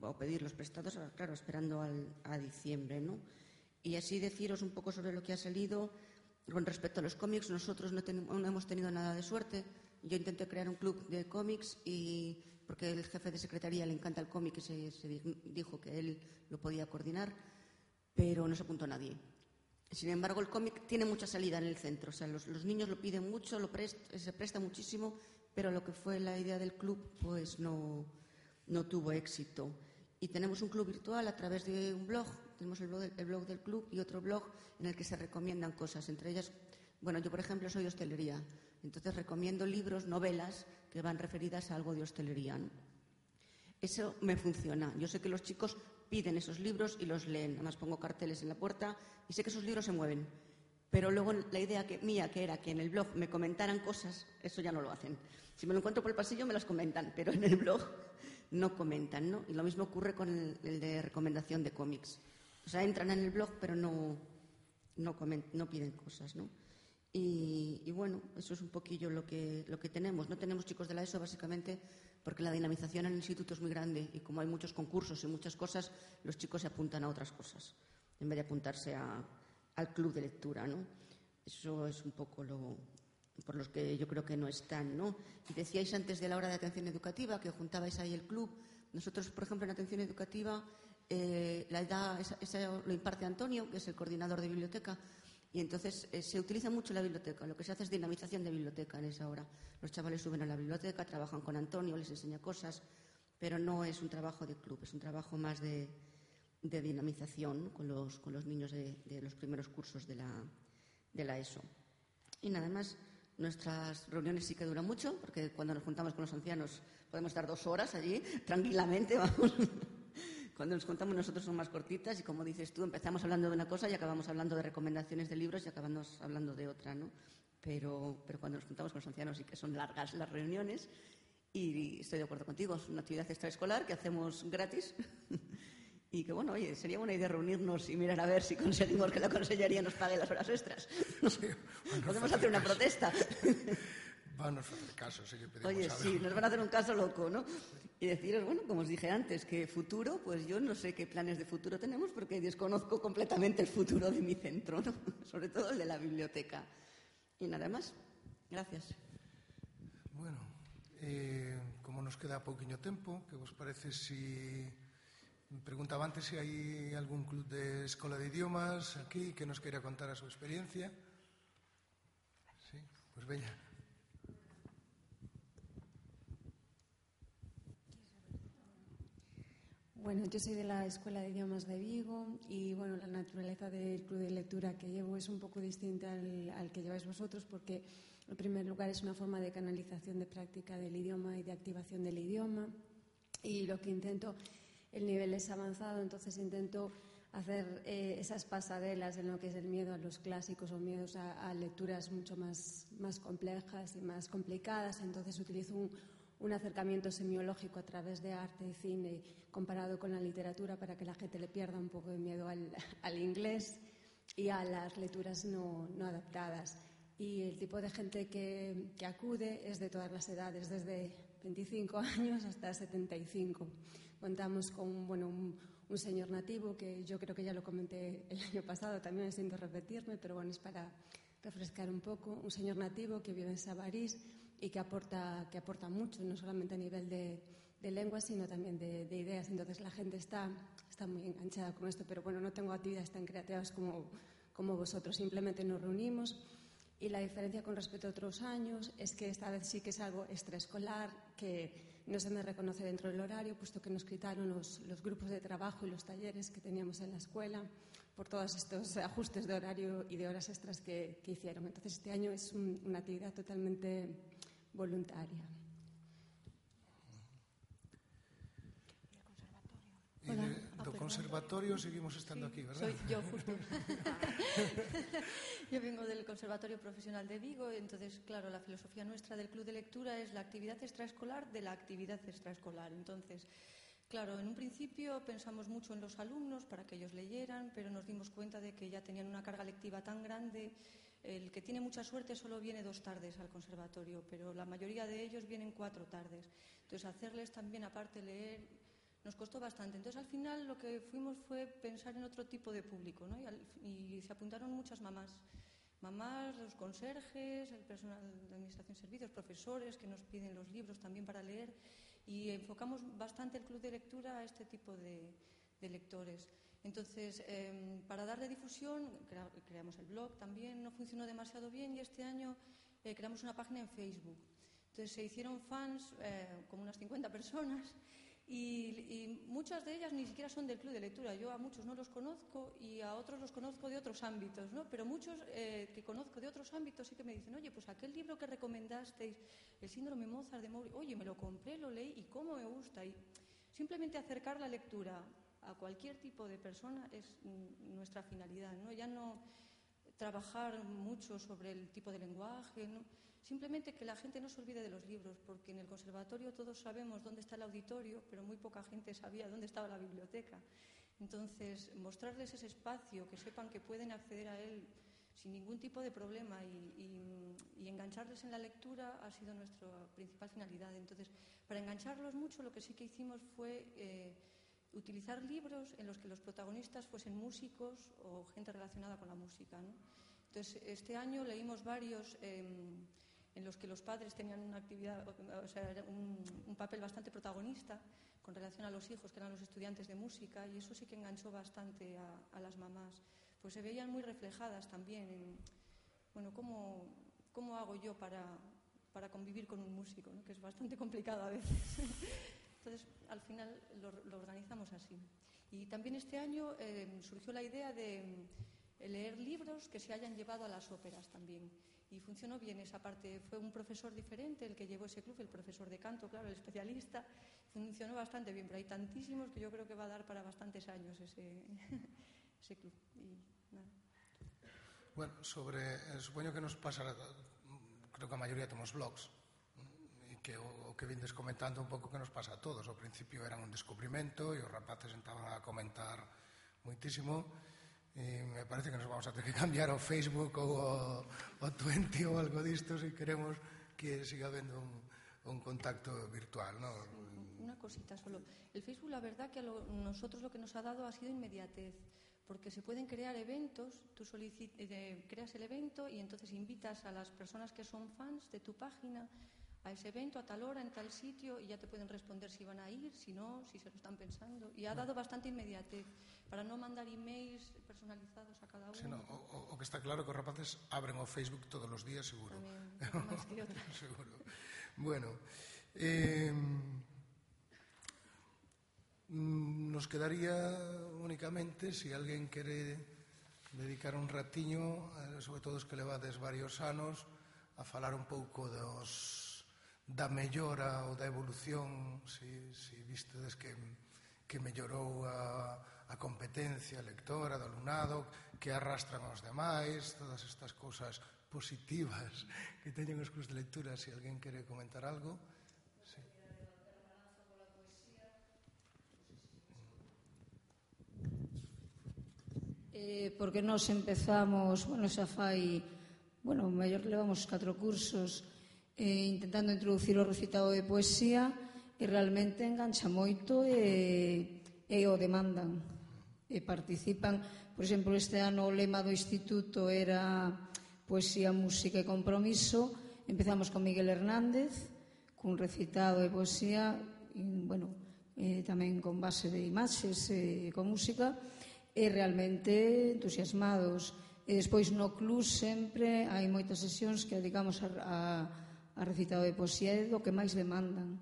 O pedir los prestados, claro, esperando al, a diciembre, ¿no? Y así deciros un poco sobre lo que ha salido. Con respecto a los cómics, nosotros no, ten, no hemos tenido nada de suerte. Yo intenté crear un club de cómics y porque el jefe de secretaría le encanta el cómic y se, se dijo que él lo podía coordinar, pero no se apuntó nadie. Sin embargo, el cómic tiene mucha salida en el centro. O sea, los, los niños lo piden mucho, lo prest, se presta muchísimo, pero lo que fue la idea del club, pues no... no tuvo éxito. Y tenemos un club virtual a través de un blog, tenemos el blog, del, el blog del club y otro blog en el que se recomiendan cosas, entre ellas, bueno, yo por ejemplo soy de hostelería, entonces recomiendo libros, novelas que van referidas a algo de hostelería, ¿no? Eso me funciona. Yo sé que los chicos piden esos libros y los leen, además pongo carteles en la puerta y sé que esos libros se mueven. Pero luego la idea que, mía, que era que en el blog me comentaran cosas, eso ya no lo hacen. Si me lo encuentro por el pasillo me las comentan, pero en el blog no comentan, ¿no? Y lo mismo ocurre con el, el de recomendación de cómics. O sea, entran en el blog, pero no, no, coment, no piden cosas, ¿no? Y, y bueno, eso es un poquillo lo que, lo que tenemos. No tenemos chicos de la ESO, básicamente, porque la dinamización en el instituto es muy grande y como hay muchos concursos y muchas cosas, los chicos se apuntan a otras cosas, en vez de apuntarse a, al club de lectura, ¿no? Eso es un poco lo... por los que yo creo que no están, ¿no? Y decíais antes de la hora de atención educativa que juntabais ahí el club. Nosotros, por ejemplo, en atención educativa eh, la edad, esa, esa lo imparte Antonio, que es el coordinador de biblioteca, y entonces eh, se utiliza mucho la biblioteca. Lo que se hace es dinamización de biblioteca en esa hora. Los chavales suben a la biblioteca, trabajan con Antonio, les enseña cosas, pero no es un trabajo de club, es un trabajo más de, de dinamización, ¿no? con, los, con los niños de, de los primeros cursos de la, de la ESO. Y nada más. Nuestras reuniones sí que duran mucho, porque cuando nos juntamos con los ancianos podemos estar dos horas allí, tranquilamente, vamos. Cuando nos juntamos nosotros son más cortitas y, como dices tú, empezamos hablando de una cosa y acabamos hablando de recomendaciones de libros y acabamos hablando de otra, ¿no? Pero, pero cuando nos juntamos con los ancianos sí que son largas las reuniones y estoy de acuerdo contigo, es una actividad extraescolar que hacemos gratis. Y que, bueno, oye, sería buena idea reunirnos y mirar a ver si conseguimos que la consellería nos pague las horas extras. Sí, bueno, podemos hacer una protesta. Van nos facer caso, se lle pedimos Oye, algo. sí, nos van a hacer un caso loco, ¿no? Y deciros, bueno, como os dije antes, que futuro, pues yo no sé qué planes de futuro tenemos porque desconozco completamente el futuro de mi centro, ¿no? Sobre todo el de la biblioteca. Y nada más. Gracias. Bueno, eh, como nos queda pouquiño tempo, que vos parece si... Me preguntaba antes se hai algún club de escola de idiomas aquí que nos queira contar a súa experiencia. Sí, pois pues veña. Bueno, yo soy de la Escuela de Idiomas de Vigo y bueno, la naturaleza del club de lectura que llevo es un poco distinta al, al que lleváis vosotros porque en primer lugar es una forma de canalización de práctica del idioma y de activación del idioma y lo que intento, el nivel es avanzado, entonces intento hacer eh, esas pasarelas en lo que es el miedo a los clásicos o miedos a, a lecturas mucho más, más complejas y más complicadas, entonces utilizo un un acercamiento semiológico a través de arte y cine comparado con la literatura para que la gente le pierda un poco de miedo al, al inglés y a las lecturas no, no adaptadas. Y el tipo de gente que, que acude es de todas las edades, desde veinticinco años hasta setenta y cinco. Contamos con bueno, un, un señor nativo que yo creo que ya lo comenté el año pasado, también siento repetirme, pero bueno, es para refrescar un poco. Un señor nativo que vive en Sabarís y que aporta, que aporta mucho, no solamente a nivel de, de lengua, sino también de, de ideas. Entonces la gente está, está muy enganchada con esto, pero bueno, no tengo actividades tan creativas como, como vosotros, simplemente nos reunimos y la diferencia con respecto a otros años es que esta vez sí que es algo extraescolar, que no se me reconoce dentro del horario, puesto que nos quitaron los, los grupos de trabajo y los talleres que teníamos en la escuela por todos estos ajustes de horario y de horas extras que, que hicieron. Entonces este año es un, una actividad totalmente voluntaria. E de, do conservatorio seguimos estando sí, aquí, ¿verdad? Soy yo, justo. Yo vengo del Conservatorio Profesional de Vigo, entonces, claro, la filosofía nuestra del Club de Lectura es la actividad extraescolar de la actividad extraescolar. Entonces, claro, en un principio pensamos mucho en los alumnos para que ellos leyeran, pero nos dimos cuenta de que ya tenían una carga lectiva tan grande. El que tiene mucha suerte solo viene dos tardes al conservatorio, pero la mayoría de ellos vienen cuatro tardes. Entonces, hacerles también, aparte, leer, nos costó bastante. Entonces, al final, lo que fuimos fue pensar en otro tipo de público, ¿no? Y, al, y se apuntaron muchas mamás. Mamás, los conserjes, el personal de administración de servicios, profesores que nos piden los libros también para leer. Y enfocamos bastante el club de lectura a este tipo de, de lectores. Entonces, eh, para darle difusión, crea, creamos el blog también, no funcionó demasiado bien y este año eh, creamos una página en Facebook. Entonces, se hicieron fans, eh, como unas cincuenta personas, y, y muchas de ellas ni siquiera son del club de lectura. Yo a muchos no los conozco y a otros los conozco de otros ámbitos, ¿no? Pero muchos eh, que conozco de otros ámbitos sí que me dicen, oye, pues aquel libro que recomendasteis, el síndrome Mozart de Mowbray, oye, me lo compré, lo leí y cómo me gusta. Y simplemente acercar la lectura a cualquier tipo de persona es nuestra finalidad, ¿no? Ya no trabajar mucho sobre el tipo de lenguaje, ¿no? Simplemente que la gente no se olvide de los libros, porque en el conservatorio todos sabemos dónde está el auditorio, pero muy poca gente sabía dónde estaba la biblioteca. Entonces, mostrarles ese espacio, que sepan que pueden acceder a él sin ningún tipo de problema y, y, y engancharles en la lectura ha sido nuestra principal finalidad. Entonces, para engancharlos mucho, lo que sí que hicimos fue eh, utilizar libros en los que los protagonistas fuesen músicos o gente relacionada con la música, ¿no? Entonces, este año leímos varios eh, en los que los padres tenían una actividad, o sea, un, un papel bastante protagonista con relación a los hijos, que eran los estudiantes de música, y eso sí que enganchó bastante a, a las mamás. Pues se veían muy reflejadas también en, bueno, cómo, cómo hago yo para, para convivir con un músico, ¿no? Que es bastante complicado a veces. Entonces, al final lo, lo organizamos así. Y también este año eh, surgió la idea de leer libros que se hayan llevado a las óperas también. Y funcionó bien esa parte. Fue un profesor diferente el que llevó ese club, el profesor de canto, claro, el especialista. Funcionó bastante bien, pero hay tantísimos que yo creo que va a dar para bastantes años ese, ese club. Y nada. Bueno, sobre, eh, supoño que nos pasa, creo que a maioría temos blogs, e que o, o que vindes comentando un pouco que nos pasa a todos. Ao principio eran un descubrimento e os rapaces estaban a comentar moitísimo. E me parece que nos vamos a ter que cambiar o Facebook ou o, o Twenty ou algo disto se queremos que que siga habendo un, un contacto virtual, ¿no? Una cosita solo. El Facebook, la verdad que a lo, nosotros lo que nos ha dado ha sido inmediatez, porque se pueden crear eventos, tú solicit, eh, creas el evento y entonces invitas a las personas que son fans de tu página a ese evento a tal hora, en tal sitio, y ya te pueden responder si van a ir, si no, si se lo están pensando. Y ha dado bastante inmediatez para no mandar emails personalizados a cada uno. Sí, no, o, o que está claro que os rapaces abren o Facebook todos os días, seguro. Tamén, máis que outras. Seguro. Bueno, eh, nos quedaría únicamente, se si alguén quere dedicar un ratiño, sobre todo os que levades varios anos, a falar un pouco dos da mellora ou da evolución, si, si vistedes que, que mellorou a, a competencia lectora do alumnado, que arrastran aos demais, todas estas cousas positivas que teñen os clubs de lectura. Se si alguén quere comentar algo. Sí. Eh, porque nós empezamos, bueno, xa fai, bueno, mellor levamos catro cursos eh, intentando introducir o recitado de poesía e realmente engancha moito e, e o demandan e participan. Por exemplo, este ano o lema do instituto era poesía, música e compromiso. Empezamos con Miguel Hernández cun recitado de poesía e, bueno, eh, tamén con base de imaxes e con música e realmente entusiasmados. E despois no club sempre hai moitas sesións que dedicamos a, a a recitado de poesía é do que máis demandan.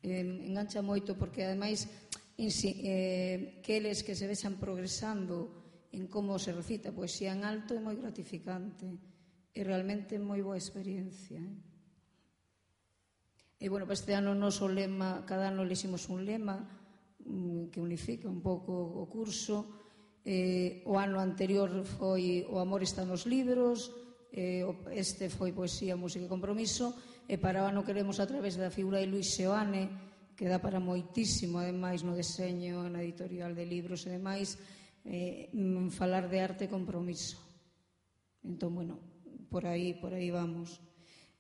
Eh, engancha moito porque ademais eh, que eles que se vexan progresando en como se recita poesía en alto é moi gratificante e realmente moi boa experiencia. Eh? E bueno, para este ano o noso lema, cada ano leximos un lema mm, que unifica un pouco o curso. Eh, o ano anterior foi O amor está nos libros, este foi poesía, música e compromiso, e para o ano queremos a través da figura de Luis Seoane, que dá para moitísimo ademais no deseño, na editorial de libros e demais, eh, falar de arte e compromiso. Entón, bueno, por aí, por aí vamos.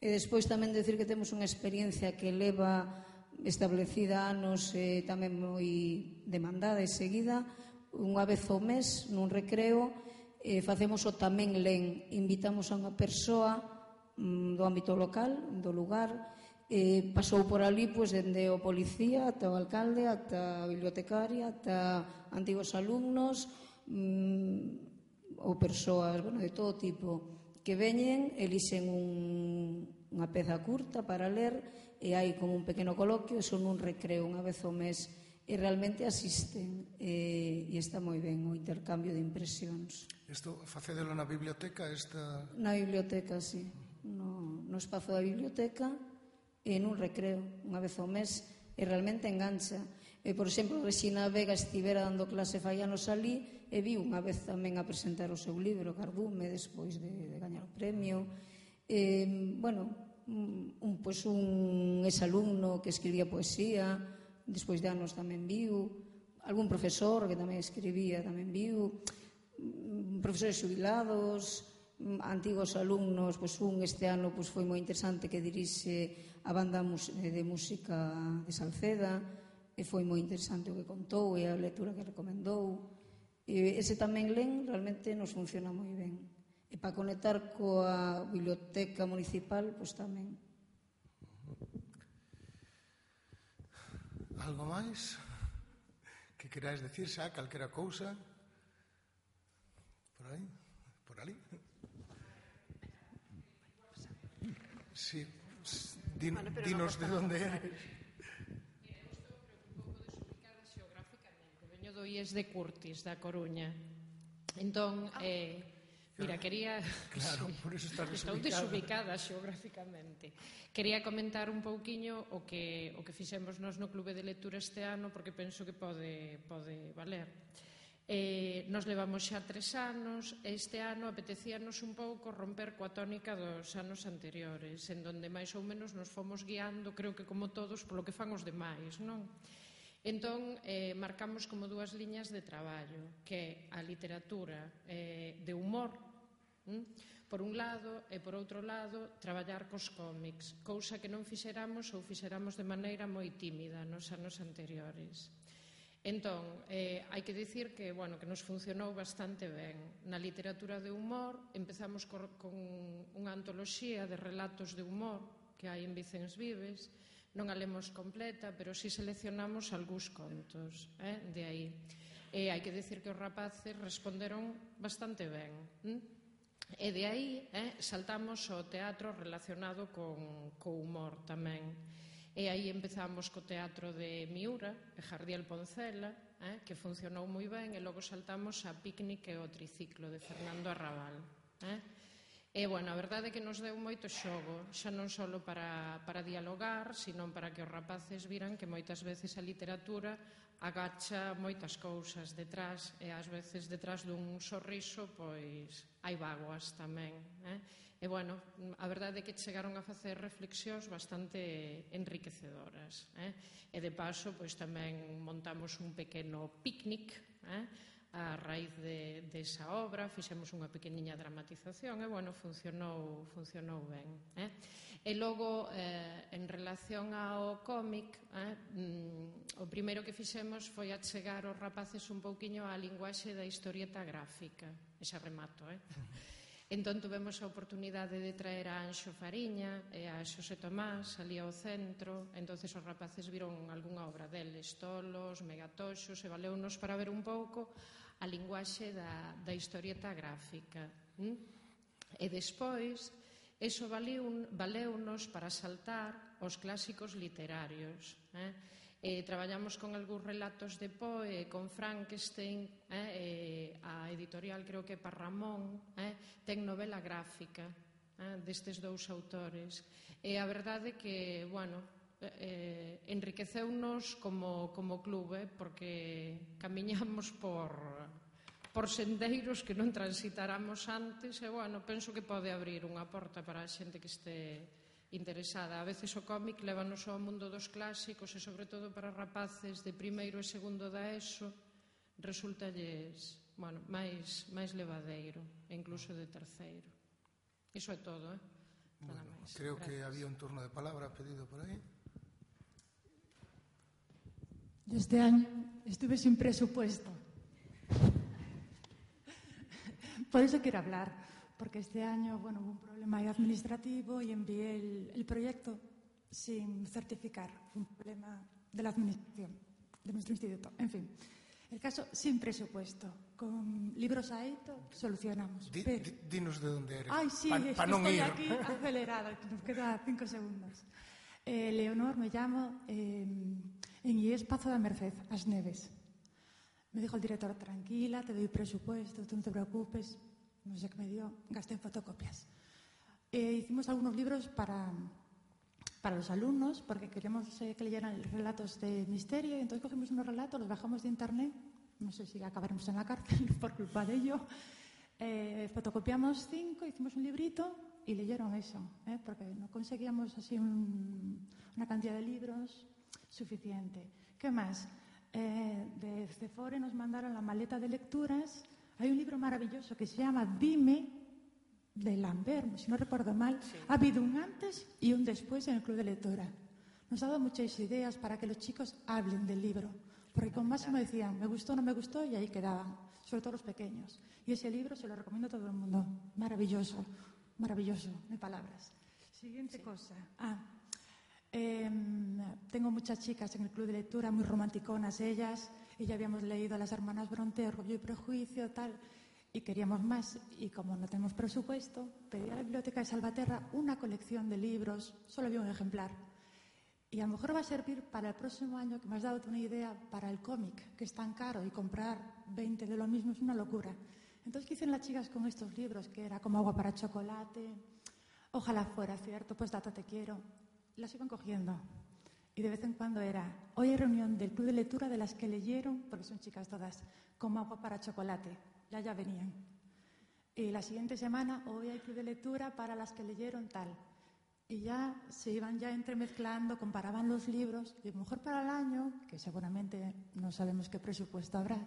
E despois tamén decir que temos unha experiencia que leva establecida anos e tamén moi demandada e seguida, unha vez ao mes nun recreo. Eh, facemos o tamén len, invitamos a unha persoa mm, do ámbito local, do lugar, eh, pasou por ali pois, dende o policía ata o alcalde, ata a bibliotecaria, ata antigos alumnos mm, ou persoas, bueno, de todo tipo que veñen, elixen un, unha peza curta para ler e hai como un pequeno coloquio e son un recreo unha vez ao mes e realmente asisten e, e está moi ben o intercambio de impresións. Isto facédelo na biblioteca? Esta... Na biblioteca, sí. No, no espazo da biblioteca e nun recreo, unha vez ao mes, e realmente engancha. E, por exemplo, Regina Vega estivera dando clase fai anos alí e viu unha vez tamén a presentar o seu libro Cardume, despois de, de gañar o premio. E, bueno, un, pues un exalumno que escribía poesía, despois de anos tamén viu, algún profesor que tamén escribía tamén viu, profesores xubilados, antigos alumnos, pois un este ano pois foi moi interesante que dirixe a banda de música de Salceda e foi moi interesante o que contou e a lectura que recomendou. E ese tamén len realmente nos funciona moi ben. E para conectar coa biblioteca municipal, pois tamén. Algo máis que queráis decir xa, calquera cousa? Por aí? Por ali? Sí, din, bueno, dinos no de onde eres. Mira, eu estou un pouco desubicada xeográficamente. Veño do I E S de Curtis, da Coruña. Entón, eh, mira, quería... Claro, por eso estás desubicada. Estou desubicada xeográficamente. Quería comentar un pouquiño o que, o que fixemos nós no Clube de Lectura este ano, porque penso que pode, pode valer. Eh, nos levamos xa tres anos e este ano apetecíanos un pouco romper coa tónica dos anos anteriores, en donde máis ou menos nos fomos guiando, creo que como todos, polo que fan os demais, non? Entón, eh, marcamos como dúas liñas de traballo, que é a literatura eh, de humor, Por un lado, e por outro lado, traballar cos cómics, cousa que non fixeramos ou fixeramos de maneira moi tímida nos anos anteriores. Entón, eh, hai que dicir que, bueno, que nos funcionou bastante ben. Na literatura de humor empezamos con, con unha antoloxía de relatos de humor que hai en Vicens Vives. Non a lemos completa, pero si seleccionamos algúns contos, eh, de aí. E hai que dicir que os rapaces responderon bastante ben. Hm? E de aí eh, saltamos ao teatro relacionado con, co humor tamén. E aí empezamos co teatro de Miura, de Jardiel Poncela, eh, que funcionou moi ben, e logo saltamos a Picnic e o Triciclo de Fernando Arrabal. Eh? E, bueno, a verdade é que nos deu moito xogo, xa non só para, para dialogar, sino para que os rapaces viran que moitas veces a literatura agacha moitas cousas detrás, e ás veces detrás dun sorriso, pois, hai vaguas tamén, eh? E, bueno, a verdade é que chegaron a facer reflexións bastante enriquecedoras, eh? E, de paso, pois tamén montamos un pequeno picnic, eh? A raíz de, de esa obra, fixemos unha pequeniña dramatización e, bueno, funcionou, funcionou ben, eh? E logo, eh, en relación ao cómic, eh, mm, o primeiro que fixemos foi achegar os rapaces un pouquiño á linguaxe da historieta gráfica, e xa remato, eh? Entón, tuvemos a oportunidade de traer a Anxo Fariña e a Xosé Tomás ali ao centro. Entonces os rapaces viron algunha obra deles, Tolos, Megatoxos, e valeunos para ver un pouco a linguaxe da, da historieta gráfica. ¿Mm? E despois, eso valeunos para saltar os clásicos literarios. Eh? E traballamos con algúns relatos de Poe, con Frankenstein, eh, e a editorial, creo que Parramón, eh, ten novela gráfica eh, destes dous autores. E a verdade é que, bueno, eh, enriqueceunos como, como clube, porque camiñamos por, por sendeiros que non transitáramos antes, e, bueno, penso que pode abrir unha porta para a xente que este interesada. A veces o cómic lévanos ao mundo dos clásicos, e sobre todo para rapaces de primeiro e segundo da ESO resultalles, bueno, máis, máis levadeiro, e incluso de terceiro. Iso é todo, eh? Nada Bueno, máis. creo Gracias. que había un turno de palabra pedido por aí. Yo este año estuve sin presupuesto. Por eso quiero hablar, porque este año, bueno, hubo un problema administrativo y envié el, el proyecto sin certificar. Fue un problema de la administración, de nuestro instituto. En fin, el caso sin presupuesto. Con libros a Eito solucionamos. Di, pero... di, dinos de dónde eres. Ay, sí, pa, es pa que non estoy ir. aquí acelerada, nos queda cinco segundos. Eh, Leonor, me llamo, eh, en I E S Pazo da Merced, As Neves. Me dijo el director, tranquila, te doy presupuesto, tú no te preocupes. No sé qué me dio, gasté en fotocopias. Eh, hicimos algunos libros para, para los alumnos, porque queríamos eh, que leyeran relatos de misterio, y entonces cogimos unos relatos, los bajamos de internet, no sé si acabaremos en la cárcel por culpa de ello. Eh, fotocopiamos cinco, hicimos un librito y leyeron eso, ¿eh? Porque no conseguíamos así un, una cantidad de libros suficiente. ¿Qué más? Eh, de Cefore nos mandaron la maleta de lecturas. Hay un libro maravilloso que se llama Dime, de Lambert, si no recuerdo mal. Sí. Ha habido un antes y un después en el Club de Lectura. Nos ha dado muchas ideas para que los chicos hablen del libro. Porque con Máximo decían, me gustó, no me gustó, y ahí quedaban, sobre todo los pequeños. Y ese libro se lo recomiendo a todo el mundo. Maravilloso, maravilloso, no hay palabras. Siguiente sí. cosa. Ah, eh, tengo muchas chicas en el Club de Lectura, muy romanticonas ellas, y ya habíamos leído a las hermanas Bronte, Orgullo y Prejuicio, tal, y queríamos más. Y como no tenemos presupuesto, pedí a la Biblioteca de Salvaterra una colección de libros, solo había un ejemplar. Y a lo mejor va a servir para el próximo año, que me has dado una idea, para el cómic, que es tan caro, y comprar veinte de lo mismo es una locura. Entonces, ¿qué hicieron las chicas con estos libros? Que era como agua para chocolate, ojalá fuera cierto, pues data te quiero. Las iban cogiendo. Y de vez en cuando era, hoy hay reunión del Club de Lectura de las que leyeron, porque son chicas todas, como agua para chocolate. Ya ya venían. Y la siguiente semana, hoy hay Club de Lectura para las que leyeron tal. Y ya se iban ya entremezclando, comparaban los libros, y a lo mejor para el año, que seguramente no sabemos qué presupuesto habrá,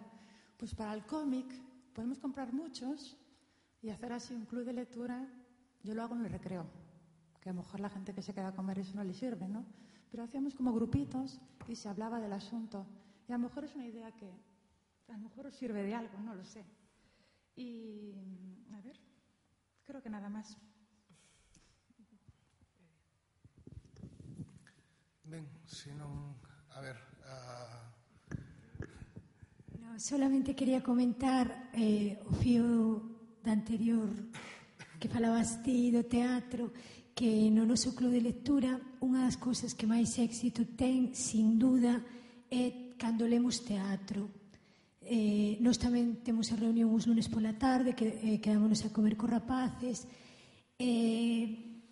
pues para el cómic podemos comprar muchos Y hacer así un club de lectura, yo lo hago en el recreo, que a lo mejor la gente que se queda a comer eso no le sirve, ¿no? Pero hacíamos como grupitos y se hablaba del asunto. Y a lo mejor es una idea que a lo mejor os sirve de algo, no lo sé. Y, a ver, creo que nada más. Ben, se non... A ver... A... No, solamente quería comentar eh, o fío da anterior que falabas ti do teatro, que no noso club de lectura unha das cousas que máis éxito ten, sin duda, é cando lemos teatro. Eh, nós tamén temos a reunión os lunes pola tarde, que eh, quedámonos a comer co rapaces. Eh,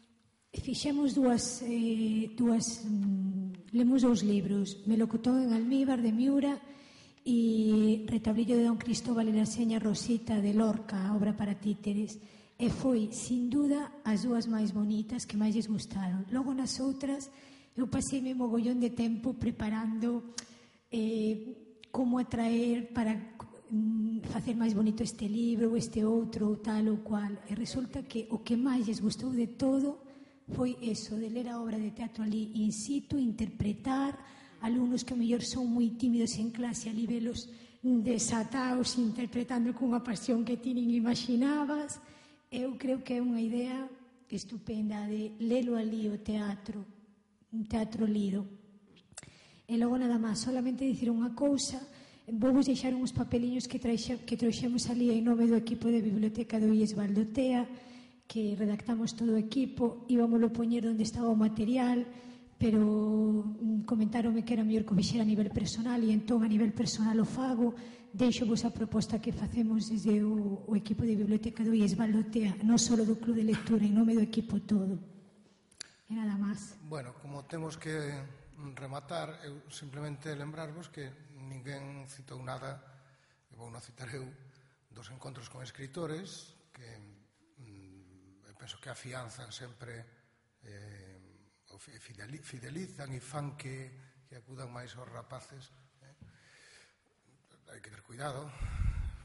fixemos dúas, eh, dúas mm, lemos dous libros, Melocotón en almíbar de Miura e Retablillo de Don Cristóbal e la seña Rosita de Lorca, obra para títeres. E foi, sin duda, as dúas máis bonitas que máis lles gustaron. Logo nas outras eu paseime mogollón de tempo preparando eh, como atraer para mm, facer máis bonito este libro ou este outro ou tal ou cual. E resulta que o que máis lles gustou de todo foi eso, de ler a obra de teatro ali in situ, interpretar, alumnos que a mellor son moi tímidos en clase, ali velos desataos interpretando cunha pasión que ti nin imaginabas. Eu creo que é unha idea estupenda de lelo ali o teatro, un teatro lido. E logo nada máis, solamente dicir unha cousa, vou vos deixar uns papeliños que, traixe, que trouxemos ali en nome do equipo de Biblioteca do I E S Valdotea, que redactamos todo o equipo, íbamoslo poñer onde estaba o material, pero comentáronme que era mellor que o fixera a nivel personal e entón a nivel personal o fago. Deixo vos a proposta que facemos desde o, o equipo de Biblioteca do I E S Valdotea, non só do Club de Lectura, en nome do equipo todo. E nada máis. Bueno, como temos que rematar, eu simplemente lembrarvos que ninguén citou nada, e vou non citar eu, dos encontros con escritores, que mm, penso que afianzan sempre, eh, fidelizan e fan que, que acudan máis aos rapaces. Hai que ter cuidado,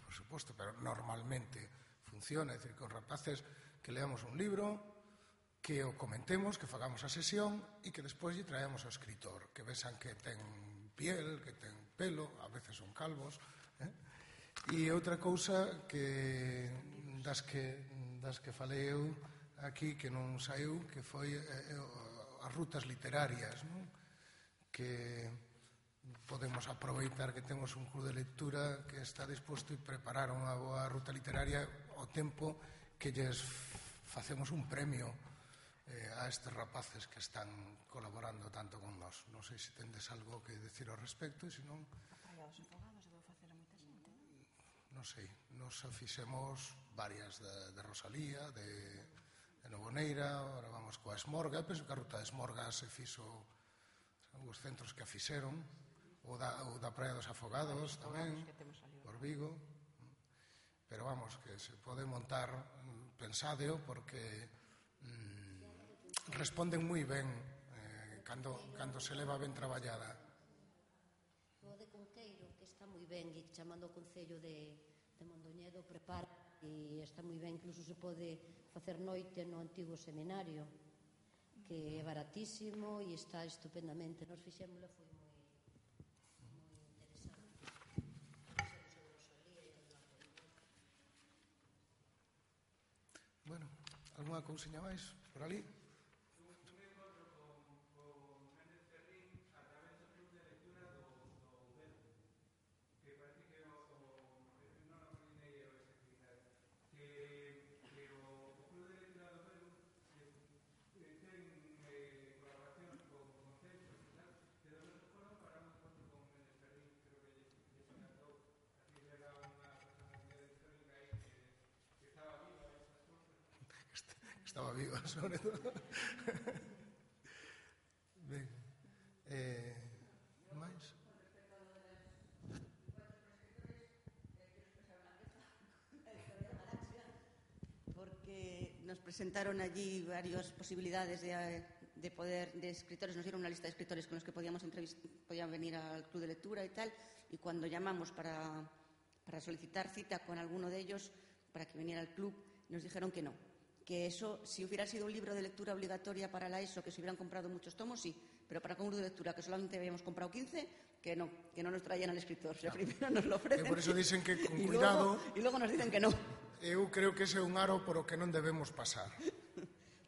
por suposto, pero normalmente funciona. É dicir, que os rapaces que leamos un libro, que o comentemos, que fagamos a sesión e que despois lle traemos ao escritor, que vexan que ten piel, que ten pelo, a veces son calvos. Eh? E outra cousa que das que das que falei eu aquí, que non saiu, que foi eh, as rutas literarias, non? Que podemos aproveitar que temos un club de lectura que está disposto e preparar unha boa ruta literaria ao tempo que lles facemos un premio eh, a estes rapaces que están colaborando tanto con nós. Non sei se tendes algo que decir ao respecto, e se non... A Praia dos Afogados debeu facer a moita xente. Non sei, nos fixemos varias de, de Rosalía, de, de Novoneira, agora vamos coa Esmorga. Penso que a ruta de Esmorga se fixo os centros que a fixeron, ou da, ou da Praia dos Afogados tamén, por Vigo. Pero vamos, que se pode montar, pensadeo, porque mm, responden moi ben eh, cando, cando se leva ben traballada. O de Conqueiro, que está moi ben, e chamando o Concello de, de Mondoñedo, prepara, e está moi ben, incluso se pode facer noite no antigo seminario, que é baratísimo e está estupendamente. Nos fixémosla, foi moi, moi interesante. Bueno, algunha cousiña máis por ali? Estaba viva, sobre todo. Ben, eh, máis? Porque nos presentaron allí varias posibilidades de, de poder, de escritores, nos dieron una lista de escritores con los que podíamos entrevistar, podían venir al club de lectura y tal, y cuando llamamos para, para solicitar cita con alguno de ellos, para que viniera al club, nos dijeron que no, que eso, si hubiera sido un libro de lectura obligatoria para la ESO, que se hubieran comprado muchos tomos, sí, pero para un libro de lectura que solamente habíamos comprado quince, que no, que no nos traían al escritor. O sea, primero nos lo ofrecen. E por iso dicen que con y cuidado... Luego, e logo nos dicen que no. Eu creo que ese é un aro por o que non debemos pasar.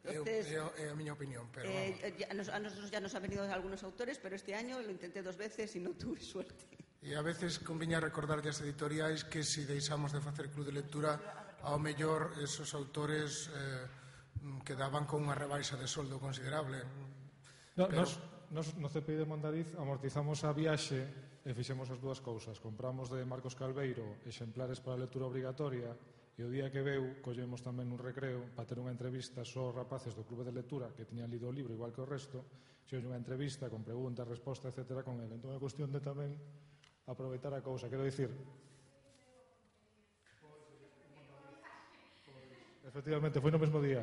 Entonces, é a miña opinión, pero eh, ya nos, a nosotros ya nos han venido algunos autores, pero este año lo intenté dos veces y no tuve suerte. E a veces conviña recordar as editoriais que se deixamos de facer club de lectura, ao mellor esos autores eh, quedaban con unha rebaixa de soldo considerable. No, pero... nos, nos, no C P I de Mondariz amortizamos a viaxe e fixemos as dúas cousas. Compramos de Marcos Calveiro exemplares para a lectura obrigatoria e o día que veu collemos tamén un recreo para ter unha entrevista só rapaces do clube de lectura que tiñan lido o libro igual que o resto, xeron unha entrevista con preguntas, respostas, etcétera con ele. Entón é cuestión de tamén aproveitar a cousa. Quero dicir, efectivamente, foi no mesmo día.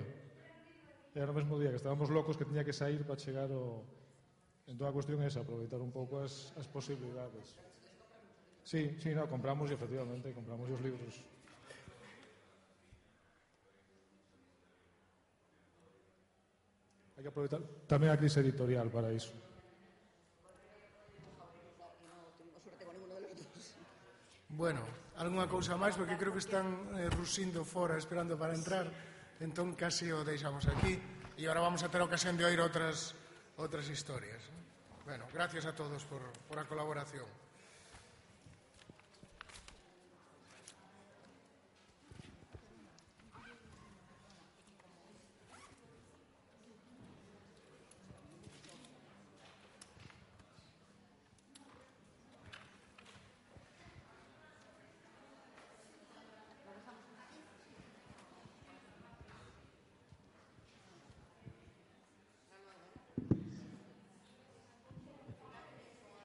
Era no mesmo día que estábamos locos que tiña que sair para chegar o... Entón a cuestión é esa, aproveitar un pouco as, as posibilidades. Sí, sí, no, compramos e efectivamente, compramos os libros. Hai que aproveitar tamén a crise editorial para iso. Bueno, algunha cousa máis, porque creo que están eh, rusindo fora esperando para entrar, entón casi o deixamos aquí e agora vamos a ter ocasión de oír outras outras historias. Bueno, gracias a todos por, por a colaboración.